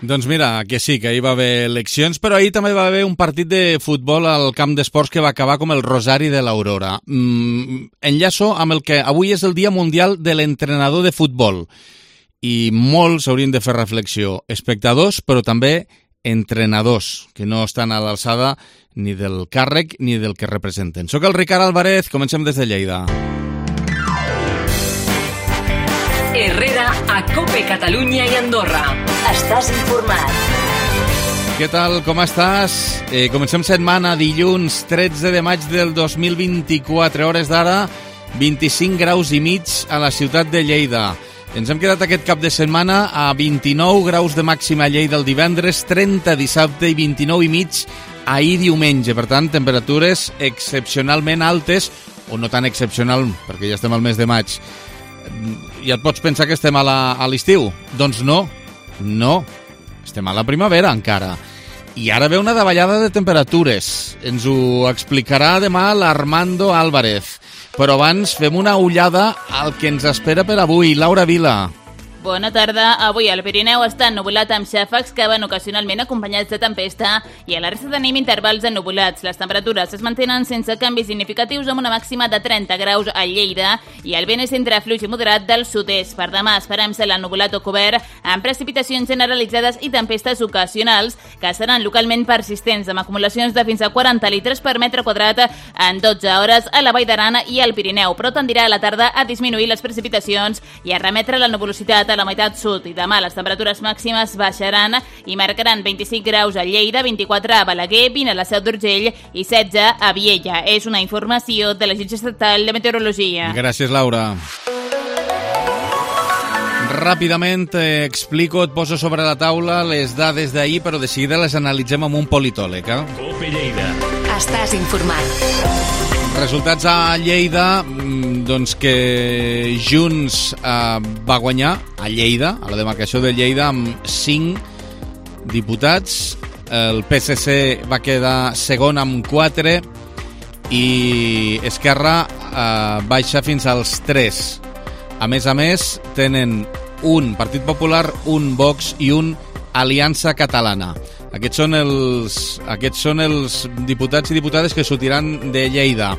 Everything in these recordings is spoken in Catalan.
Doncs mira, que sí, que ahir va haver eleccions, però ahir també va haver un partit de futbol al camp d'esports que va acabar com el Rosari de l'Aurora. Enllaço amb el que avui és el Dia Mundial de l'Entrenador de Futbol i molts haurien de fer reflexió. Espectadors, però també entrenadors, que no estan a l'alçada ni del càrrec ni del que representen. Soc el Ricard Álvarez, comencem des de Lleida. Herrera a COPE Catalunya i Andorra. Estàs informat. Què tal, com estàs? Comencem setmana, dilluns 13 de maig del 2024, hores d'ara, 25 graus i mig a la ciutat de Lleida. Ens hem quedat aquest cap de setmana a 29 graus de màxima a Lleida el divendres, 30 dissabte i 29 i mig ahir diumenge. Per tant, temperatures excepcionalment altes, o no tan excepcional, perquè ja estem al mes de maig. Ja et pots pensar que estem a l'estiu? Doncs no, estem a la primavera encara. I ara ve una davallada de temperatures. Ens ho explicarà demà l'Armando Álvarez. Però abans fem una ullada al que ens espera per avui. Laura Vila. Bona tarda. Avui al Pirineu està ennuvolat amb xàfecs que van ocasionalment acompanyats de tempesta i a la resta tenim intervals ennuvulats. Les temperatures es mantenen sense canvis significatius amb una màxima de 30 graus a Lleida i el vent és entre fluix i moderat del sud-est. Per demà esperem cel ennuvolat o cobert amb precipitacions generalitzades i tempestes ocasionals que seran localment persistents amb acumulacions de fins a 40 litres per metre quadrat en 12 hores a la Vall d'Aran i al Pirineu, però tendirà a la tarda a disminuir les precipitacions i a remetre la nuvolositat a la meitat sud i demà les temperatures màximes baixaran i marcaran 25 graus a Lleida, 24 a Balaguer, 20 a la Seu d'Urgell i 16 a Viella. És una informació de l'Agència Estatal de Meteorologia. Gràcies, Laura. Ràpidament explico, et poso sobre la taula les dades d'ahir, però de seguida les analitzem amb un politòleg. COPE Lleida. Estàs informat. Resultats a Lleida, doncs que Junts va guanyar a Lleida, a la demarcació de Lleida, amb 5 diputats. El PSC va quedar segon amb 4 i Esquerra baixa fins als 3. A més, tenen un Partit Popular, un Vox i un Aliança Catalana. Aquests són els diputats i diputades que sortiran de Lleida.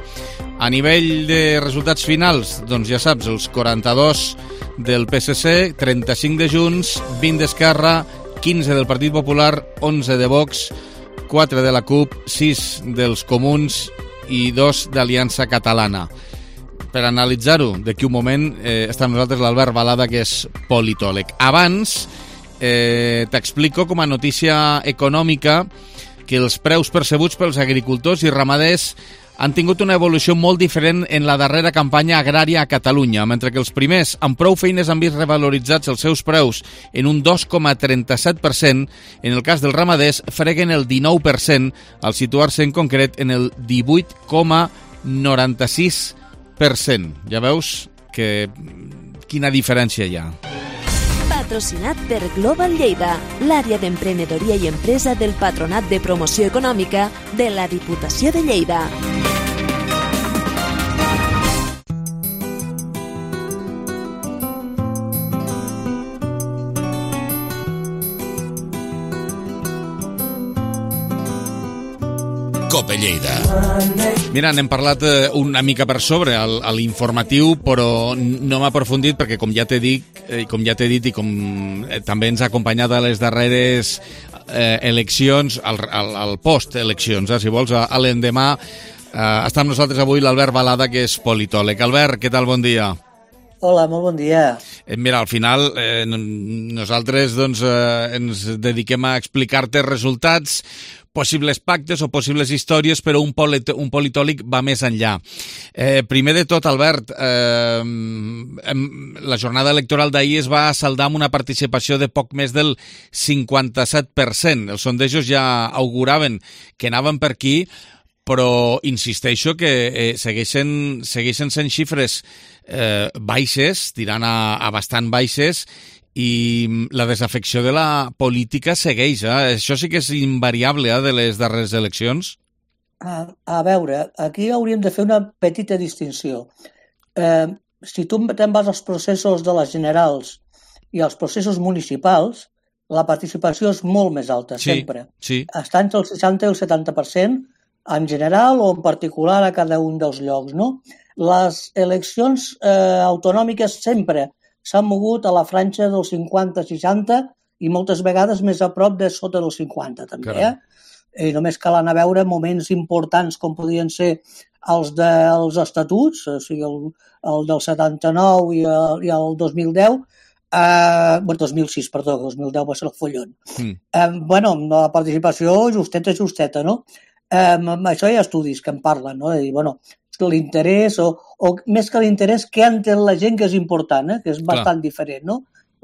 A nivell de resultats finals, doncs ja saps, els 42 del PSC, 35 de Junts, 20 d'Esquerra, 15 del Partit Popular, 11 de Vox, 4 de la CUP, 6 dels Comuns i 2 d'Aliança Catalana. Per analitzar-ho, d'aquí un moment està amb nosaltres l'Albert Balada, que és politòleg. Abans t'explico com a notícia econòmica que els preus percebuts pels agricultors i ramaders han tingut una evolució molt diferent en la darrera campanya agrària a Catalunya. Mentre que els primers amb prou feines han vist revaloritzats els seus preus en un 2,37%, en el cas dels ramaders freguen el 19%, al situar-se en concret en el 18,96%. Ja veus que quina diferència hi ha. Patrocinat per Global Lleida, l'àrea d'emprenedoria i empresa del Patronat de Promoció Econòmica de la Diputació de Lleida. COPE Lleida. Mira, n'hem parlat una mica per sobre a l'informatiu, però no m'ha aprofundit perquè, com ja t'he dit i com també ens ha acompanyat a les darreres eleccions, al post-eleccions, si vols, a l'endemà, està amb nosaltres avui l'Albert Balada, que és politòleg. Albert, què tal? Bon dia. Hola, molt bon dia. Mira, al final nosaltres ens dediquem a explicar-te resultats, possibles pactes o possibles històries, però un politòleg va més enllà. Primer de tot, Albert, la jornada electoral d'ahir es va saldar amb una participació de poc més del 57%. Els sondejos ja auguraven que anaven per aquí, però insisteixo que segueixen sent xifres baixes, tirant a bastant baixes, i la desafecció de la política segueix. Això sí que és invariable de les darreres eleccions. A veure, aquí hauríem de fer una petita distinció. Si tu te'n vas als processos de les generals i als processos municipals, la participació és molt més alta, sempre. Sí. Està entre el 60 i el 70%, en general o en particular a cada un dels llocs, no? Les eleccions autonòmiques sempre s'han mogut a la franja del 50-60 i moltes vegades més a prop de sota del 50, també. I només cal anar a veure moments importants com podien ser els dels estatuts, o sigui, el del 79 i el 2010, 2006, perdó, 2010 va ser el follon. La participació justeta, no? Això hi ha estudis que en parlen, no? De dir, l'interès, o més que l'interès, què entén la gent que és important, que és bastant diferent, no?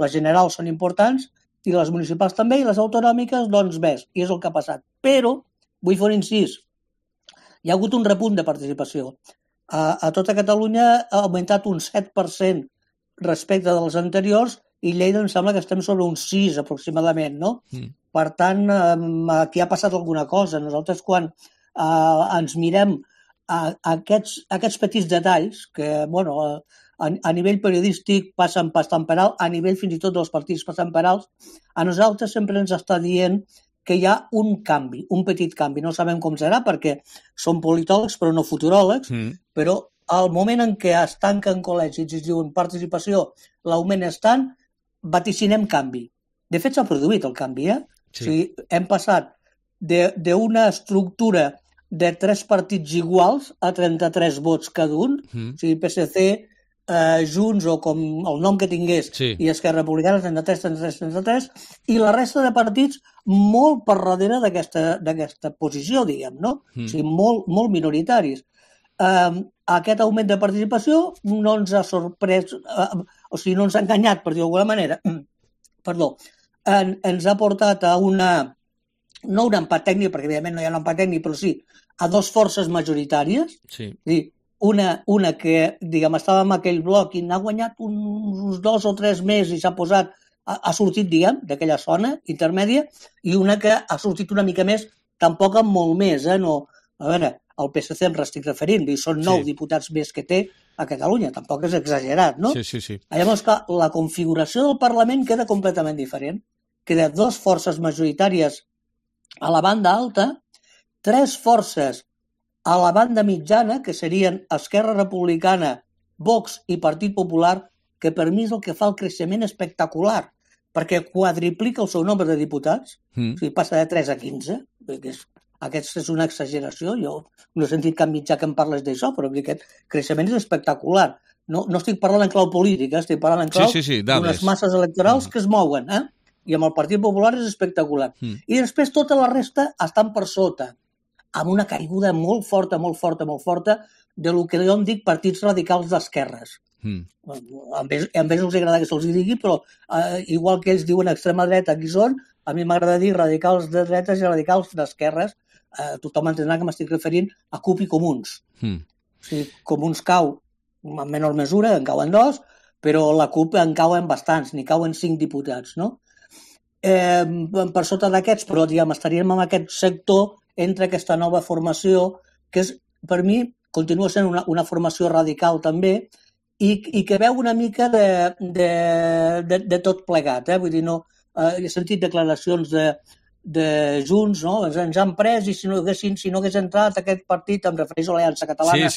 Les generals són importants, i les municipals també, i les autonòmiques, doncs més, i és el que ha passat. Però, vull fer un incís, hi ha hagut un repunt de participació. A tota Catalunya ha augmentat un 7% respecte dels anteriors, i Lleida em sembla que estem sobre un 6 aproximadament, no? Per tant, aquí ha passat alguna cosa. Nosaltres quan ens mirem aquests petits detalls, que a nivell periodístic passen per alt, a nivell fins i tot dels partits passen per alt, a nosaltres sempre ens està dient que hi ha un canvi, un petit canvi. No sabem com serà perquè som politòlegs però no futuròlegs, però al moment en què es tanquen col·legis i es diuen participació, l'augment és tant, vaticinem canvi. De fet, s'ha produït el canvi, Sí. O sigui, hem passat d'una estructura de 3 partits iguals a 33 vots cada un, o sigui, PSC, Junts o com el nom que tingués, i Esquerra Republicana, 33, i la resta de partits molt per darrere d'aquesta posició, diguem, no? O sigui, molt minoritaris. Aquest augment de participació no ens ha sorprès, o sigui, no ens ha enganyat, per dir-ho d'alguna manera, ens ha portat a no un empat tècnic, perquè evidentment no hi ha un empat tècnic, però sí, a 2 forces majoritàries, és a dir, una que, diguem, estava en aquell bloc i n'ha guanyat uns 2 o 3 més i ha sortit, diguem, d'aquella zona intermèdia, i una que ha sortit una mica més, tampoc amb molt més, no? A veure, el PSC em estic referint, són 9 diputats més que té a Catalunya, tampoc és exagerat, no? Sí. Llavors, clar, la configuració del Parlament queda completament diferent. Queda 2 forces majoritàries a la banda alta, 3 forces a la banda mitjana, que serien Esquerra Republicana, Vox i Partit Popular, que per mi és el que fa el creixement espectacular, perquè quadriplica el seu nombre de diputats, o sigui, passa de 3 a 15, aquesta és una exageració, jo no he sentit cap mitjà que em parles d'això, però aquest creixement és espectacular. No estic parlant en clau política, estic parlant en clau d'unes masses electorals que es mouen, i amb el Partit Popular és espectacular. I després tota la resta estan per sota, amb una caiguda molt forta de lo que jo en dic partits radicals d'esquerres. A ells els agrada que se'ls digui, però igual que ells diuen extrema dreta, aquí són, a mi m'agrada dir radicals de dretes i radicals d'esquerres. Tothom entendrà que m'estic referint a CUP i Comuns. O sigui, Comuns cau en menor mesura, en cauen 2, però la CUP en cauen bastants, n'hi cauen 5 diputats, no? Per sota d'aquests, però estaríem en aquest sector entre aquesta nova formació, que és, per mi, continua sent una formació radical també, i que veu una mica de tot plegat. Vull dir, he sentit declaracions de Junts, no? Ens han pres i si no hagués entrat aquest partit, em refereix a l'Aliança Catalana,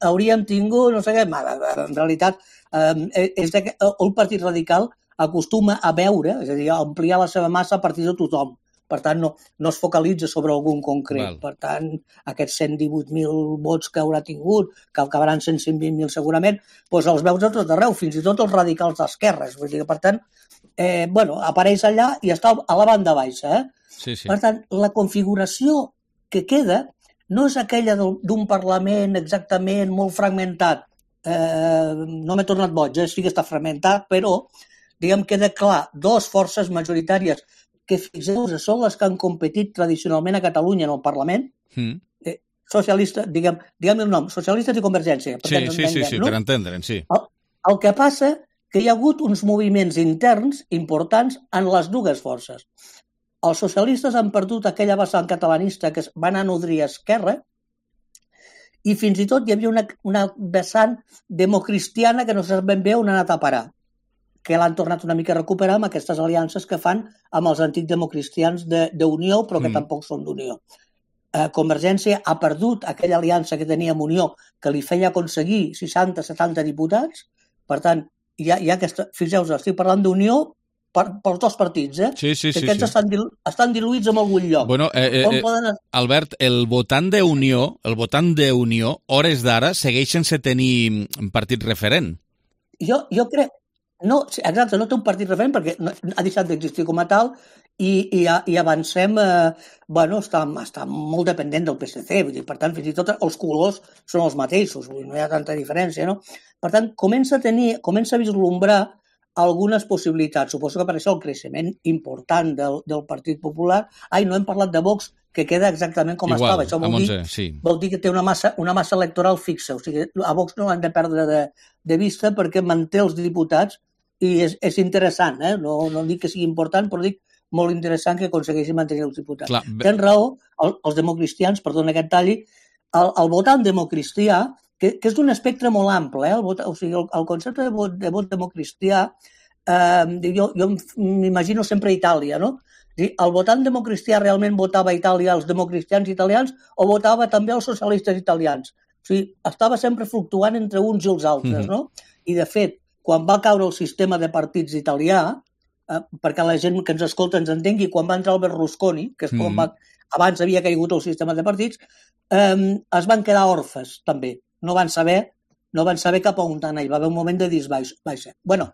hauríem tingut, no sé què, en realitat, el Partit Radical acostuma a veure, és a dir, a ampliar la seva massa a partir de tothom. Per tant, no es focalitza sobre algun concret. Per tant, aquests 118.000 vots que haurà tingut, que acabaran sent 120.000 segurament, doncs els veus de tot arreu, fins i tot els radicals d'esquerres. Vull dir que, per tant, apareix allà i està a la banda baixa. Per tant, la configuració que queda no és aquella d'un Parlament exactament molt fragmentat. No m'he tornat boig, sí que està fragmentat, però, diguem, queda clar, 2 forces majoritàries que, fixeu-vos, són les que han competit tradicionalment a Catalunya en el Parlament, socialistes, diguem el nom, socialistes i Convergència. Sí, per entendre'n, sí. El que passa que hi ha hagut uns moviments interns importants en les 2 forces. Els socialistes han perdut aquella vessant catalanista que van a nodrir a Esquerra, i fins i tot hi havia una vessant democristiana que no sap ben bé on ha anat a parar. que l'han tornat una mica a recuperar amb aquestes aliances que fan amb els antics democristians d'Unió, però que tampoc són d'Unió. Convergència ha perdut aquella aliança que tenia amb Unió, que li feia aconseguir 60-70 diputats. Per tant, hi ha aquesta... Fixeu-vos, estic parlant d'Unió pels dos partits, Sí. Aquests estan diluïts en algun lloc. Bueno, Albert, el votant d'Unió, hores d'ara, segueix sense tenir partit referent. Jo crec... No, exacte, no té un partit referent perquè ha deixat d'existir com a tal i avancem... està molt dependent del PSC, vull dir, per tant, fins i tot els colors són els mateixos, vull dir, no hi ha tanta diferència, no? Per tant, comença a vislumbrar algunes possibilitats. Suposo que per això el creixement important del Partit Popular... no hem parlat de Vox, que queda exactament com estava. Això vol dir que té una massa electoral fixa. O sigui, a Vox no l'han de perdre de vista perquè manté els diputats i és interessant, no dic que sigui important, però dic molt interessant que aconsegueixi mantenir els diputats. Tens raó, els democristians, perdona que et talli, el votant democristià, que és d'un espectre molt ample, o sigui, el concepte de vot democristià, jo m'imagino sempre a Itàlia, no? El votant democristià realment votava a Itàlia els democristians italians o votava també els socialistes italians? O sigui, estava sempre fluctuant entre uns i els altres, no? I, de fet, quan va caure el sistema de partits italià, perquè la gent que ens escolta ens entengui, quan va entrar el Berlusconi, que és quan abans havia caigut el sistema de partits, es van quedar orfes, també. No van saber cap a on anar. Hi va haver un moment de disbaixa. Bueno,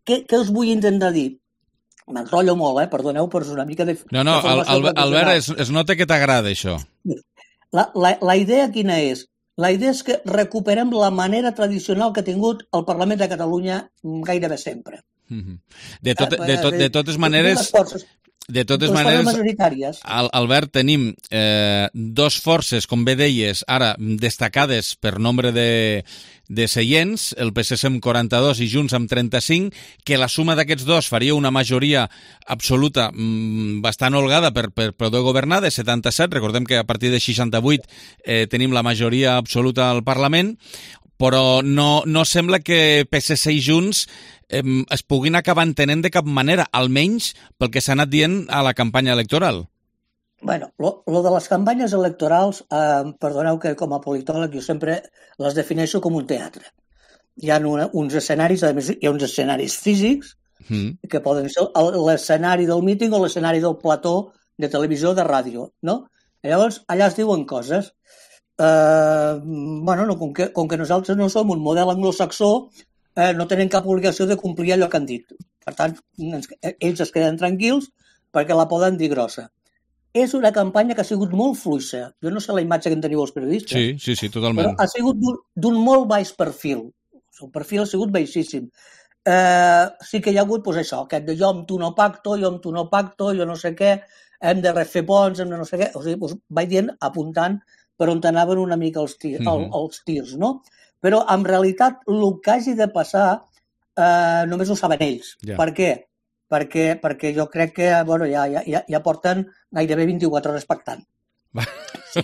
què us vull intentar dir? M'enrotllo molt, perdoneu, però és una mica de... No, Albert, es nota que t'agrada això. La idea quina és? La idea és que recuperem la manera tradicional que ha tingut el Parlament de Catalunya gairebé sempre. De totes maneres, Albert, tenim dos forces, com bé deies, ara destacades per nombre de seients, el PSC amb 42 i Junts amb 35, que la suma d'aquests dos faria una majoria absoluta bastant holgada per poder governar, de 77, recordem que a partir de 68 tenim la majoria absoluta al Parlament, però no sembla que PSC i Junts es puguin acabar entenent de cap manera, almenys pel que s'ha anat dient a la campanya electoral. Bueno, lo de les campanyes electorals, perdoneu que com a politòleg jo sempre les defineixo com un teatre. Hi ha uns escenaris, a més hi ha uns escenaris físics, que poden ser l'escenari del míting o l'escenari del plató de televisió o de ràdio, no? I llavors, allà es diuen coses. Com que nosaltres no som un model anglosaxó, no tenen cap obligació de complir allò que han dit. Per tant, ells es queden tranquils perquè la poden dir grossa. És una campanya que ha sigut molt fluixa. Jo no sé la imatge que en teniu els periodistes. Sí, totalment. Però ha sigut d'un molt baix perfil. El perfil ha sigut baixíssim. Sí que hi ha hagut, doncs això, aquest de jo amb tu no pacto, jo no sé què, hem de refer ponts, hem de no sé què. O sigui, doncs vaig dient, apuntant per on anaven una mica els tirs, no? Però, en realitat, el que hagi de passar només ho saben ells. Yeah. Per què? Perquè jo crec que ja porten gairebé 24 hores pactant.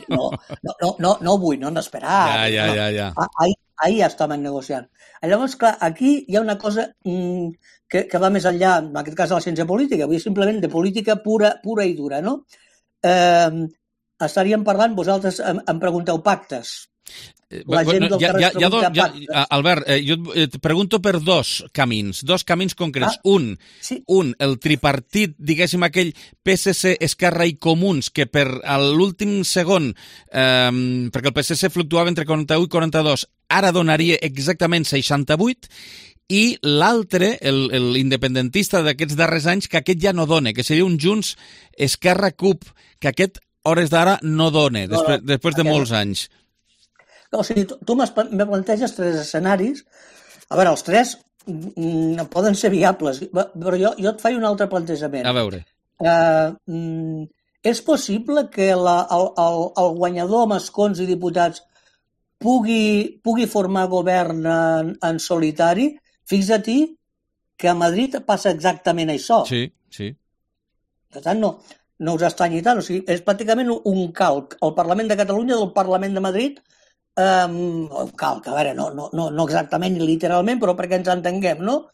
No vull, no hem d'esperar. Ja. Ahir ja estaven negociant. Llavors, clar, aquí hi ha una cosa que va més enllà, en aquest cas de la ciència política, vull dir simplement de política pura i dura, no? Estaríem parlant, vosaltres em pregunteu pactes. La gent del carrer es pregunta pactes. Albert, jo et pregunto per dos camins concrets. Un, el tripartit, diguéssim aquell PSC, Esquerra i Comuns, que per l'últim segon, perquè el PSC fluctuava entre 41 i 42, ara donaria exactament 68, i l'altre, l'independentista d'aquests darrers anys, que aquest ja no dona, que seria un Junts Esquerra CUP, que aquest, hores d'ara, no dona, després de molts anys. O sigui, tu me planteges 3 escenaris. A veure, els 3 poden ser viables, però jo et faig un altre plantejament. A veure. És possible que el guanyador amb escons i diputats pugui formar govern en solitari? Fixa-t'hi que a Madrid passa exactament això. Sí. Per tant, no us estranyi tant. O sigui, és pràcticament un calc. El Parlament de Catalunya del Parlament de Madrid, un calc, a veure, no exactament literalment, però perquè ens entenguem, no?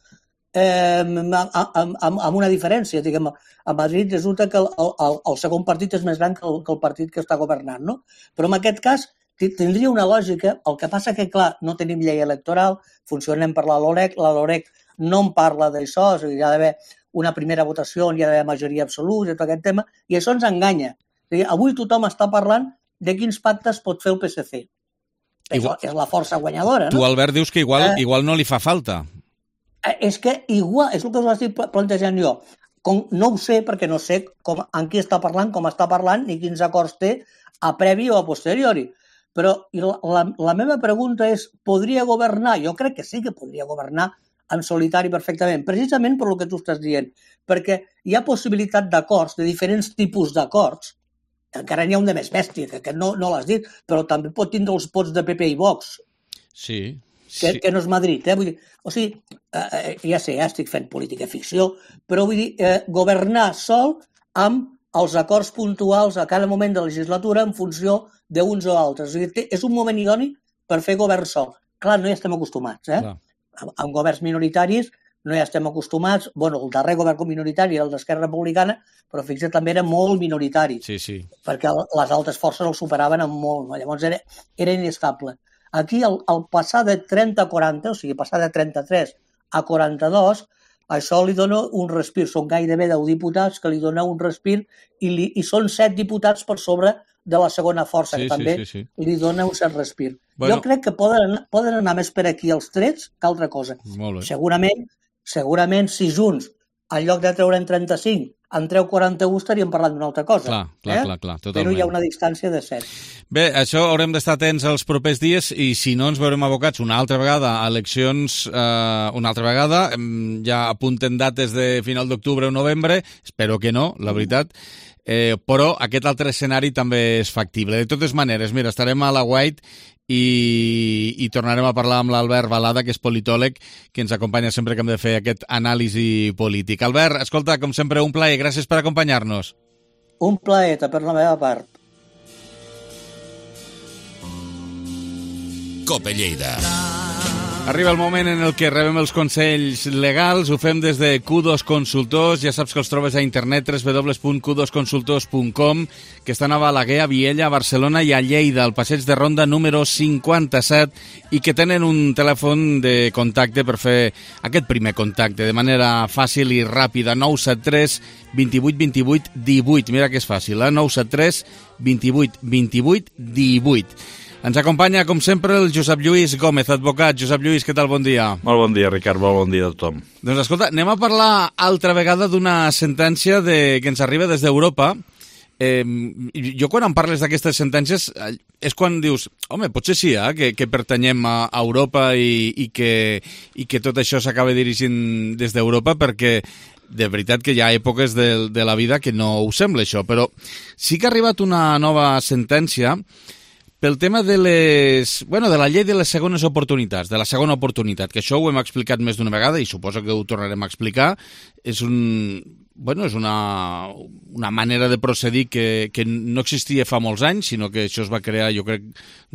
amb una diferència. Diguem, a Madrid resulta que el segon partit és més gran que el partit que està governant, no? Però en aquest cas tindria una lògica. El que passa que, clar, no tenim llei electoral, funcionem per la LOREC no en parla d'això, o sigui, hi ha d'haver una primera votació, hi ha d'haver majoria absoluta, tot aquest tema, i això ens enganya. O sigui, avui tothom està parlant de quins pactes pot fer el PSC. És la força guanyadora, no? Tu, Albert, dius que igual no li fa falta. És que igual, és el que us estic plantejant jo. No ho sé, perquè no sé en qui està parlant, com està parlant, ni quins acords té a previ o a posteriori. Però la meva pregunta és, podria governar? Jo crec que sí que podria governar en solitari perfectament, precisament per el que tu estàs dient, perquè hi ha possibilitat d'acords, de diferents tipus d'acords, encara n'hi ha un de més bèstia, que no l'has dit, però també pot tindre els vots de PP i Vox, que no és Madrid. Vull dir, o sigui, ja sé, estic fent política ficció, però vull dir, governar sol amb els acords puntuals a cada moment de la legislatura en funció d'uns o altres. O sigui, és un moment idoni per fer govern sol. Clar, no hi estem acostumats, amb governs minoritaris no hi estem acostumats. Bueno, el darrer govern minoritari era el d'Esquerra Republicana, però fixa't, també era molt minoritari, perquè les altres forces el superaven en molt. Llavors era inestable. Aquí, al passar de 30 a 40, o sigui, passar de 33 a 42, això li dona un respir. Són gairebé 10 diputats que li dona un respir i són 7 diputats per sobre de la segona força, que també li dona un cert respir. Jo crec que poden anar més per aquí els trets que altra cosa. Segurament, si Junts, en lloc de treure'n 35, en treu 41, estaríem parlant d'una altra cosa. Clar, totalment. Però hi ha una distància de 7. Bé, això haurem d'estar atents els propers dies i si no ens veurem abocats una altra vegada a eleccions, una altra vegada, ja apunten dates de final d'octubre o novembre, espero que no, la veritat, però aquest altre escenari també és factible. De totes maneres, mira, estarem a la White i tornarem a parlar amb l'Albert Balada, que és politòleg, que ens acompanya sempre que hem de fer aquest anàlisi polític. Albert, escolta, com sempre, un plaer. Gràcies per acompanyar-nos. Un plaer, per la meva part. Cope Lleida. Arriba el moment en el que rebem els consells legals, ho fem des de Q2 Consultors, ja saps que els trobes a internet www.q2consultors.com, que estan a Balaguer, a Viella, a Barcelona i a Lleida, al passeig de Ronda número 57, i que tenen un telèfon de contacte per fer aquest primer contacte de manera fàcil i ràpida, 973 28 28 18, mira que és fàcil, 973 28 28 18. Ens acompanya, com sempre, el Josep Lluís Gómez, advocat. Josep Lluís, què tal? Bon dia. Molt bon dia, Ricard. Molt bon dia a tothom. Doncs escolta, anem a parlar altra vegada d'una sentència que ens arriba des d'Europa. Jo quan em parles d'aquestes sentències és quan dius, home, potser sí, que pertanyem a Europa i que tot això s'acaba dirigint des d'Europa, perquè de veritat que hi ha èpoques de la vida que no ho sembla això, però sí que ha arribat una nova sentència pel tema de la llei de les segones oportunitats, de la segona oportunitat, que això ho hem explicat més d'una vegada i suposo que ho tornarem a explicar. És una manera de procedir que no existia fa molts anys, sinó que això es va crear, jo crec,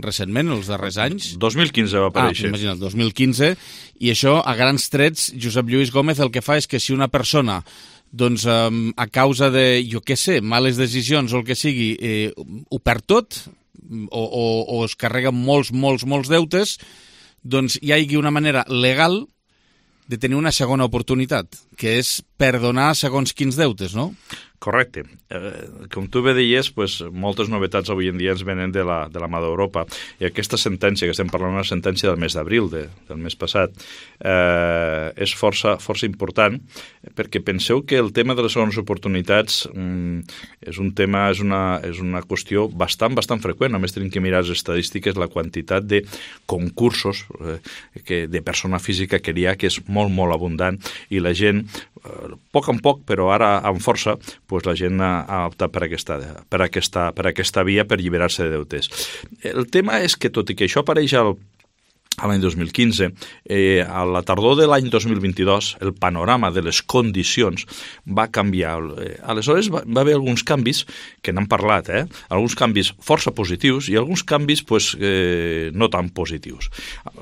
recentment, els darrers anys. 2015 va aparèixer. Imagina't, 2015, i això, a grans trets, Josep Lluís Gómez el que fa és que si una persona doncs a causa de, jo què sé, males decisions o el que sigui, ho perd tot, o es carreguen molts deutes, doncs hi hagi una manera legal de tenir una segona oportunitat, que és perdonar segons quins deutes, no? Correcte. Com tu bé deies, moltes novetats avui en dia ens venen de la mà d'Europa. I aquesta sentència, que estem parlant una sentència del mes d'abril, del mes passat, és força important, perquè penseu que el tema de les segones oportunitats és una qüestió bastant freqüent. Només tenim que mirar les estadístiques, la quantitat de concursos de persona física que hi ha, que és molt abundant, i la gent, poc en poc, però ara amb força, la gent ha optat per aquesta via per alliberar-se de deutes. El tema és que, tot i que això apareix a l'any 2015, a la tardor de l'any 2022 el panorama de les condicions va canviar. Aleshores va haver alguns canvis que n'han parlat, alguns canvis força positius i alguns canvis no tan positius.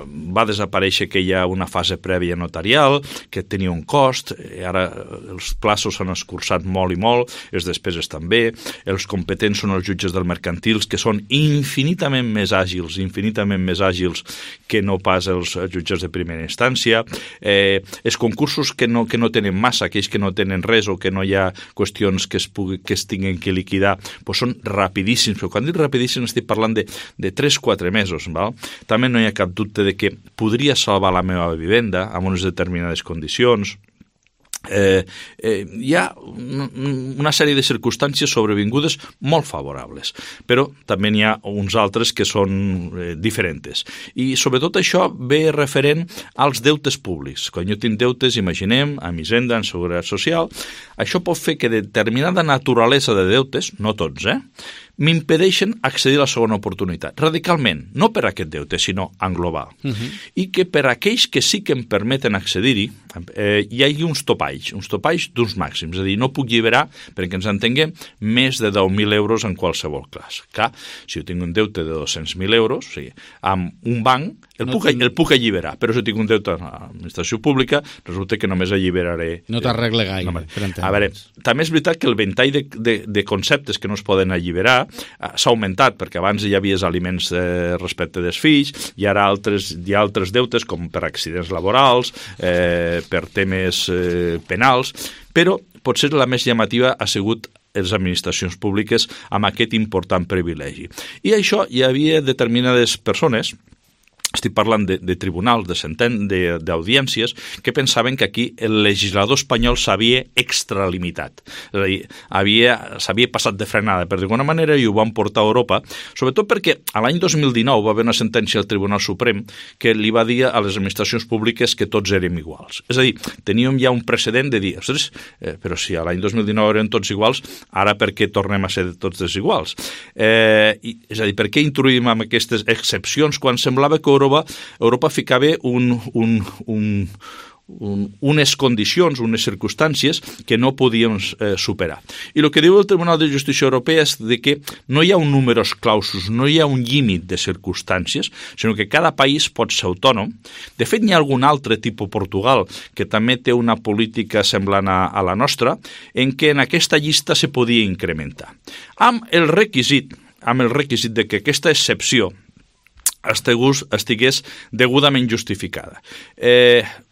Va desaparèixer que hi ha una fase prèvia notarial, que tenia un cost, ara els plaços s'han escurçat molt i molt, les despeses també, els competents són els jutges del mercantil, que són infinitament més àgils que no pas els jutges de primera instància, els concursos que no tenen massa, aquells que no tenen res o que no hi ha qüestions que es tinguin que liquidar, són rapidíssims, però quan dic rapidíssims estic parlant de 3-4 mesos. Val? També no hi ha cap dubte de que podria salvar la meva vivenda amb unes determinades condicions. Hi ha una sèrie de circumstàncies sobrevingudes molt favorables, però també n'hi ha uns altres que són diferents. I sobretot això ve referent als deutes públics. Quan jo tinc deutes, imaginem, amb Hisenda, en Seguretat Social, això pot fer que determinada naturalesa de deutes, no tots, m'impedeixen accedir a la segona oportunitat, radicalment, no per aquest deute, sinó en global. I que per aquells que sí que em permeten accedir-hi, hi hagi uns topalls d'uns màxims, és a dir, no puc lliberar, perquè ens entenguem, més de 10.000 euros en qualsevol cas. Clar, si jo tinc un deute de 200.000 euros, o sigui, amb un banc, el puc alliberar, però si tinc un deute a l'administració pública, resulta que només alliberaré... No t'arregle gaire. A veure, també és veritat que el ventall de conceptes que no es poden alliberar s'ha augmentat, perquè abans hi havia aliments respecte dels fills, i ara hi ha altres deutes, com per accidents laborals, per temes penals, però potser la més llamativa ha sigut les administracions públiques amb aquest important privilegi. I això hi havia determinades persones, estic parlant de tribunals, d'audiències, que pensaven que aquí el legislador espanyol s'havia extralimitat. És a dir, s'havia passat de frenada, per d'alguna manera, i ho van portar a Europa, sobretot perquè a l'any 2019 va haver una sentència del Tribunal Suprem que li va dir a les administracions públiques que tots érem iguals. És a dir, teníem ja un precedent de dir, ostres, però si a l'any 2019 eren tots iguals, ara per què tornem a ser tots desiguals? És a dir, per què introduïm amb aquestes excepcions quan semblava que Europa ficava unes condicions, unes circumstàncies que no podíem superar. I el que diu el Tribunal de Justícia Europea és que no hi ha un numerus clausus, no hi ha un límit de circumstàncies, sinó que cada país pot ser autònom. De fet, hi ha algun altre tipus, Portugal, que també té una política semblant a la nostra, en què en aquesta llista se podia incrementar. Amb el requisit de que aquesta excepció estigués degudament justificada.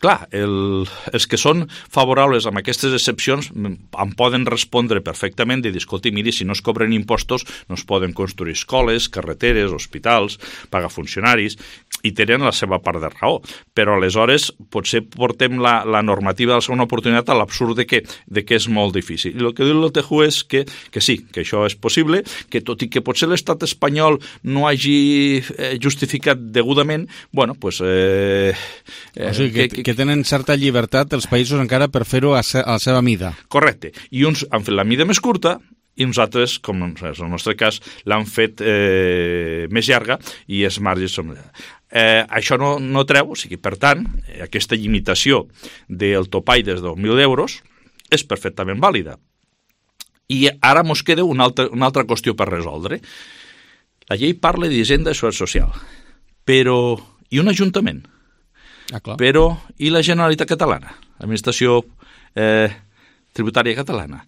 Clar, els que són favorables amb aquestes excepcions em poden respondre perfectament de dir, escolti, miri, si no es cobren impostos no es poden construir escoles, carreteres, hospitals, pagar funcionaris, i tenen la seva part de raó. Però aleshores potser portem la normativa de la segona oportunitat a l'absurd de que és molt difícil. I el que diu l'OTJU és que sí, que això és possible, que tot i que potser l'estat espanyol no hagi justificat degudament, bueno, pues... o sigui, que tenen certa llibertat els països encara per fer-ho a la seva mida. Correcte. I uns han fet la mida més curta, i uns altres, com en el nostre cas, l'han fet més llarga i els marges són... això no treu, o sigui, per tant, aquesta limitació del topall des de 2.000 euros és perfectament vàlida. I ara ens queda una altra qüestió per resoldre. La llei parla d'Hisenda i Seguretat Social, però i un ajuntament? Clar. Però i la Generalitat Catalana, l'administració tributària catalana?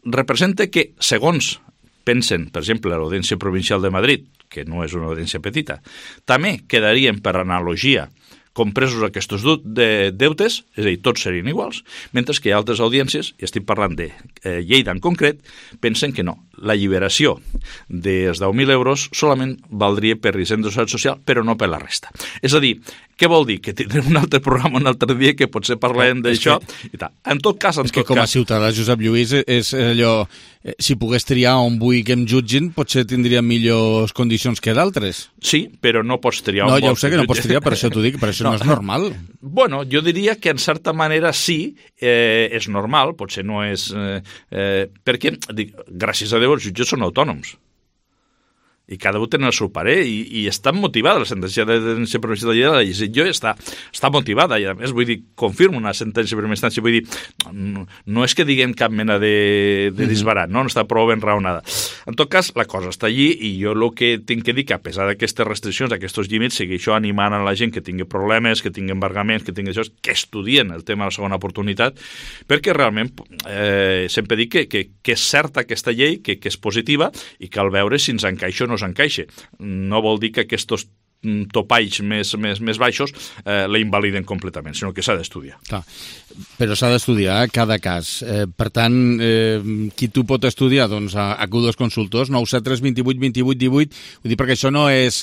Representa que, segons pensen, per exemple, l'Audiència Provincial de Madrid, que no és una audiència petita, també quedarien, per analogia, compresos aquests deutes, és a dir, tots serien iguals, mentre que hi ha altres audiències, i estic parlant de Lleida en concret, pensen que no. La alliberació dels 10.000 euros solament valdria per Hisenda i Seguretat Social, però no per la resta. És a dir, què vol dir? Que tindrem un altre programa un altre dia que potser parlem d'això. En tot cas... És que com a ciutadà, Josep Lluís, és allò... Si pogués triar on vull que em jutgin, potser tindria millors condicions que d'altres. Sí, però no pots triar on vols. No, ja ho sé que no pots triar, per això t'ho dic, per això no és normal. Bueno, jo diria que en certa manera sí, és normal, potser no és... perquè, gràcies a Déu, els jutges són autònoms. i cada un té el seu parer, i està motivada la sentència de provincial de Lleida, la decisió està motivada, i a més, vull dir, confirma una sentència per primera instància, vull dir, no és que diguem cap mena de disbarat, no està prou ben raonada. En tot cas, la cosa està allí, i jo el que tinc que dir que, a pesar d'aquestes restriccions, d'aquests límits, segueixo animant a la gent que tingui problemes, que tingui embargaments, que tingui això, que estudien el tema de la segona oportunitat, perquè realment sempre dic que és certa aquesta llei, que és positiva, i cal veure si ens encaixa o no s'encaixa. No vol dir que aquests topalls més baixos la invaliden completament, sinó que s'ha d'estudiar. Clar, però s'ha d'estudiar cada cas. Per tant, qui tu pot estudiar? Doncs acudo als consultors, 973 28 28 18, ho dic perquè això no és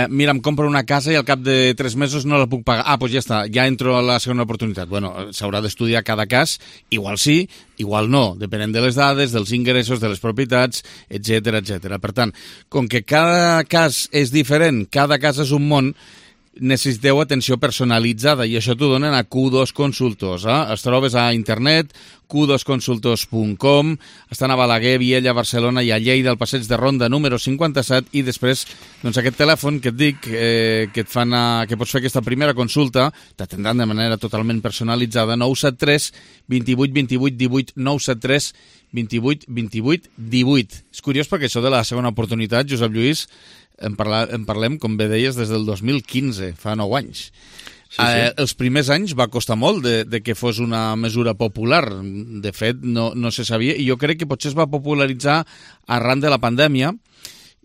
mira, em compro una casa i al cap de 3 mesos no la puc pagar. Doncs ja està, ja entro a la segona oportunitat. Bueno, s'haurà d'estudiar cada cas, igual sí, igual no, depenent de les dades, dels ingressos, de les propietats, etc etc. Per tant, com que cada cas és diferent, cada cas és un món, necessiteu atenció personalitzada, i això t'ho donen a Q2 Consultors. Es trobes a internet, q2consultors.com, estan a Balaguer, Viella, Barcelona i a Lleida, al passeig de Ronda número 57, i després doncs, aquest telèfon que et dic, que pots fer aquesta primera consulta, t'atendran de manera totalment personalitzada, 973 28 28 18, 973 28 28 18. És curiós perquè això de la segona oportunitat, Josep Lluís, en parlem, com bé deies, des del 2015, fa 9 anys. Sí. Els primers anys va costar molt de que fos una mesura popular. De fet, no se sabia, i jo crec que potser es va popularitzar arran de la pandèmia,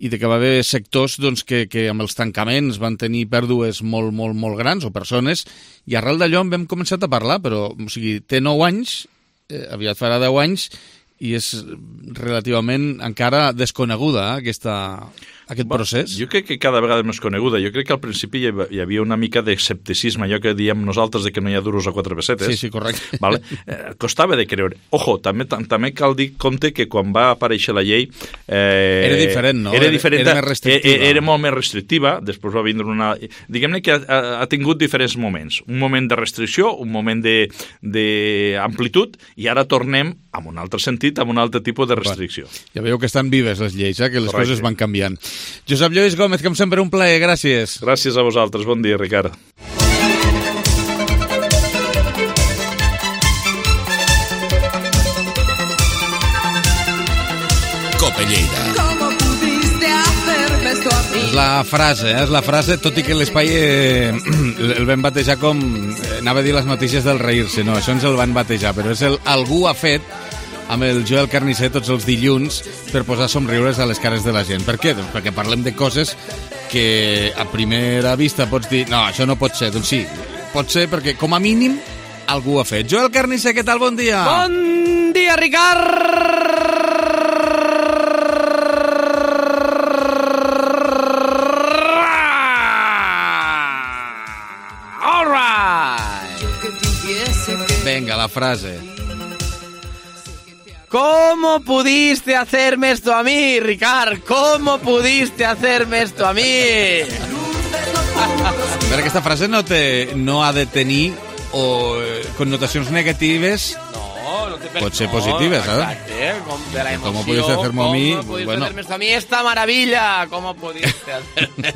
i de que va haver sectors doncs, que amb els tancaments van tenir pèrdues molt, molt, molt grans, o persones, i arrel d'allò en vam començar a parlar, però o sigui, té 9 anys, aviat farà 10 anys, i és relativament encara desconeguda aquest procés. Jo crec que cada vegada és més coneguda. Jo crec que al principi hi havia una mica d'escepticisme, allò que diem nosaltres de que no hi ha duros a 4 pessetes. Sí, correcte. Vale? Costava de creure. Ojo, també cal dir compte que quan va aparèixer la llei... era diferent, no? Era diferent, era més restrictiva. Era molt més restrictiva, després va vindre una... Diguem-ne que ha tingut diferents moments. Un moment de restricció, un moment d'amplitud, i ara tornem amb un altre sentit, amb un altre tipus de restricció. Ja veieu que estan vives les lleis, que les coses van canviant. Josep Lluís Gómez, com sempre, un plaer, gràcies. Gràcies a vosaltres, bon dia, Ricard. Cope Lleida. És la frase, tot i que l'espai el vam batejar com... Anava a dir les notícies del reir-se, no, això ens el van batejar, però és el algú ha fet amb el Joel Carnicer tots els dilluns per posar somriures a les cares de la gent. Per què? Doncs perquè parlem de coses que a primera vista pots dir no, això no pot ser. Doncs sí, pot ser perquè com a mínim algú ha fet. Joel Carnicer, què tal? Bon dia! Bon dia, Ricard! Venga, la frase. ¿Cómo pudiste hacerme esto a mí, Ricard? ¿Cómo pudiste hacerme esto a mí? A veure, aquesta frase no ha de tenir connotacions negatives. No te pot ser positives, exacte, de la emoció. ¿Cómo pudiste hacerme a mí? ¿Cómo pudiste hacerme esto a mí? Esta maravilla. ¿Cómo pudiste hacerme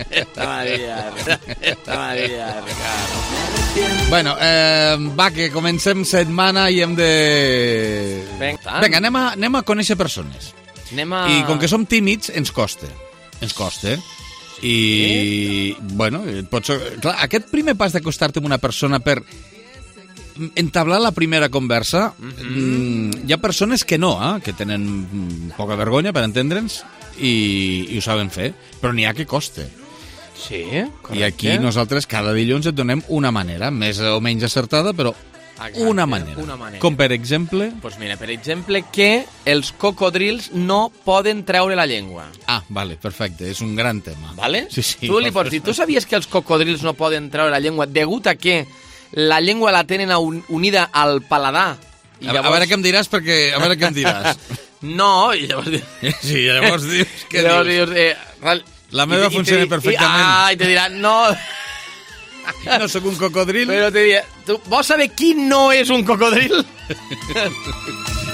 esta maravilla? Esta maravilla, Ricardo. Bueno, va, que comencem setmana i hem de... Vinga, anem a conèixer persones. I com que som tímids, ens costa. I, bueno, clar, aquest primer pas d'acostar-te amb una persona per entablar la primera conversa, hi ha persones que no, que tenen poca vergonya, per entendre'ns, i ho saben fer, però n'hi ha que costa. Sí, correcte. I aquí nosaltres cada dilluns et donem una manera, més o menys acertada, però una manera. Com per exemple... Pues mira, per exemple, que els cocodrils no poden treure la llengua. Ah, vale, perfecte, és un gran tema. Vale? Sí. Tu li pots dir, tu sabies que els cocodrils no poden treure la llengua degut a que la llengua la tenen unida al paladar? I llavors... A veure què em diràs, perquè... A veure què em diràs. No, i llavors... Sí, llavors dius... Què dius? La meva funciona perfectament. I te dirà, no... No sóc un cocodril. Però te dirà, vols saber qui no és un cocodril?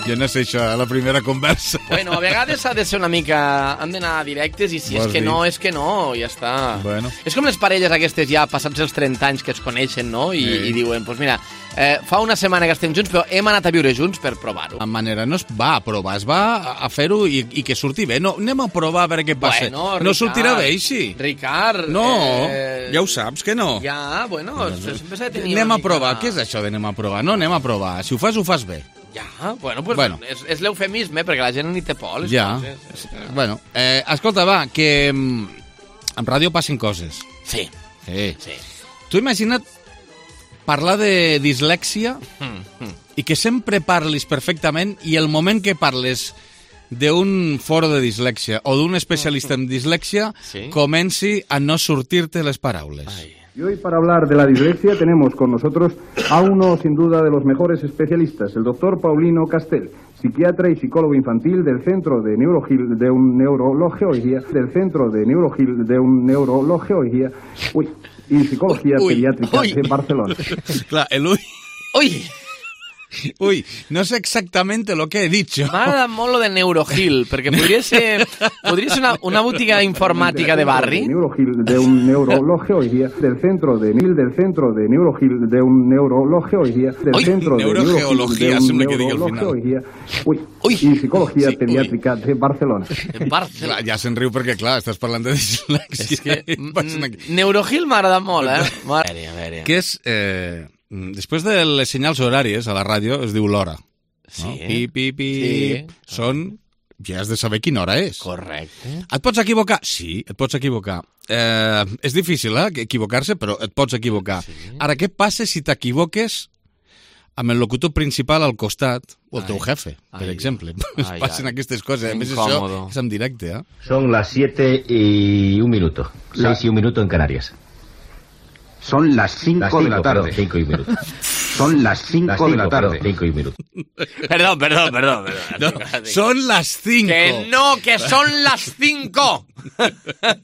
Jo no sé això, la primera conversa. Bueno, a vegades ha de ser una mica... Han d'anar directes i si és que no, és que no, ja està. Bueno. És com les parelles aquestes ja passats els 30 anys que es coneixen, no? I diuen, doncs mira, fa una setmana que estem junts, però hem anat a viure junts per provar-ho. La manera no es va a provar, es va a fer-ho i que surti bé. No, anem a provar a veure què passa. Bueno, no sortirà bé, així. Ricard... No, ja ho saps que no. Ja, bueno, sempre s'ha de tenir anem una a provar. mica... Què és això d'anem a provar? No, anem a provar. Si ho fas bé. Ja, bueno. És l'eufemisme, perquè la gent ni té por. Ja. Bueno, escolta, va, que en ràdio passen coses. Sí. Tu imagina't parlar de dislèxia i que sempre parlis perfectament i el moment que parles d'un foro de dislèxia o d'un especialista en dislèxia comenci a no sortir-te les paraules. Y hoy para hablar de la dislexia tenemos con nosotros a uno sin duda de los mejores especialistas, el doctor Paulino Castel, psiquiatra y psicólogo infantil del Centro de Neurología y Psicología Pediátrica de Barcelona. Clar, Ui, no sé exactamente lo que he dicho. M'ha agradat molt lo de Neurogil, perquè podria ser una botiga informàtica de barri. Neurogeología del Centro de Neurogeología, sembla que digui al final. I Psicología Pediàtrica de Barcelona. Clar, ja se'n riu perquè, clar, estàs parlant de dislèxia. És que Neurogil m'ha agradat molt, A veure. Que és... després de les senyals horàries a la ràdio es diu l'hora. Sí. No? Pip. Sí. Ja has de saber quina hora és. Correcte. Et pots equivocar? Sí, et pots equivocar. És difícil, equivocar-se, però et pots equivocar. Sí. Ara, què passa si t'equivoques amb el locutor principal al costat, o el teu jefe, per exemple? Passen aquestes coses. A més, això és en directe, Son las 7:01. 6:01 en Canarias. Son las 5 de la tarde. 5:01. Son las 5 de la tarde. 5:01. Perdón. No, son las 5. Que no, que son las 5.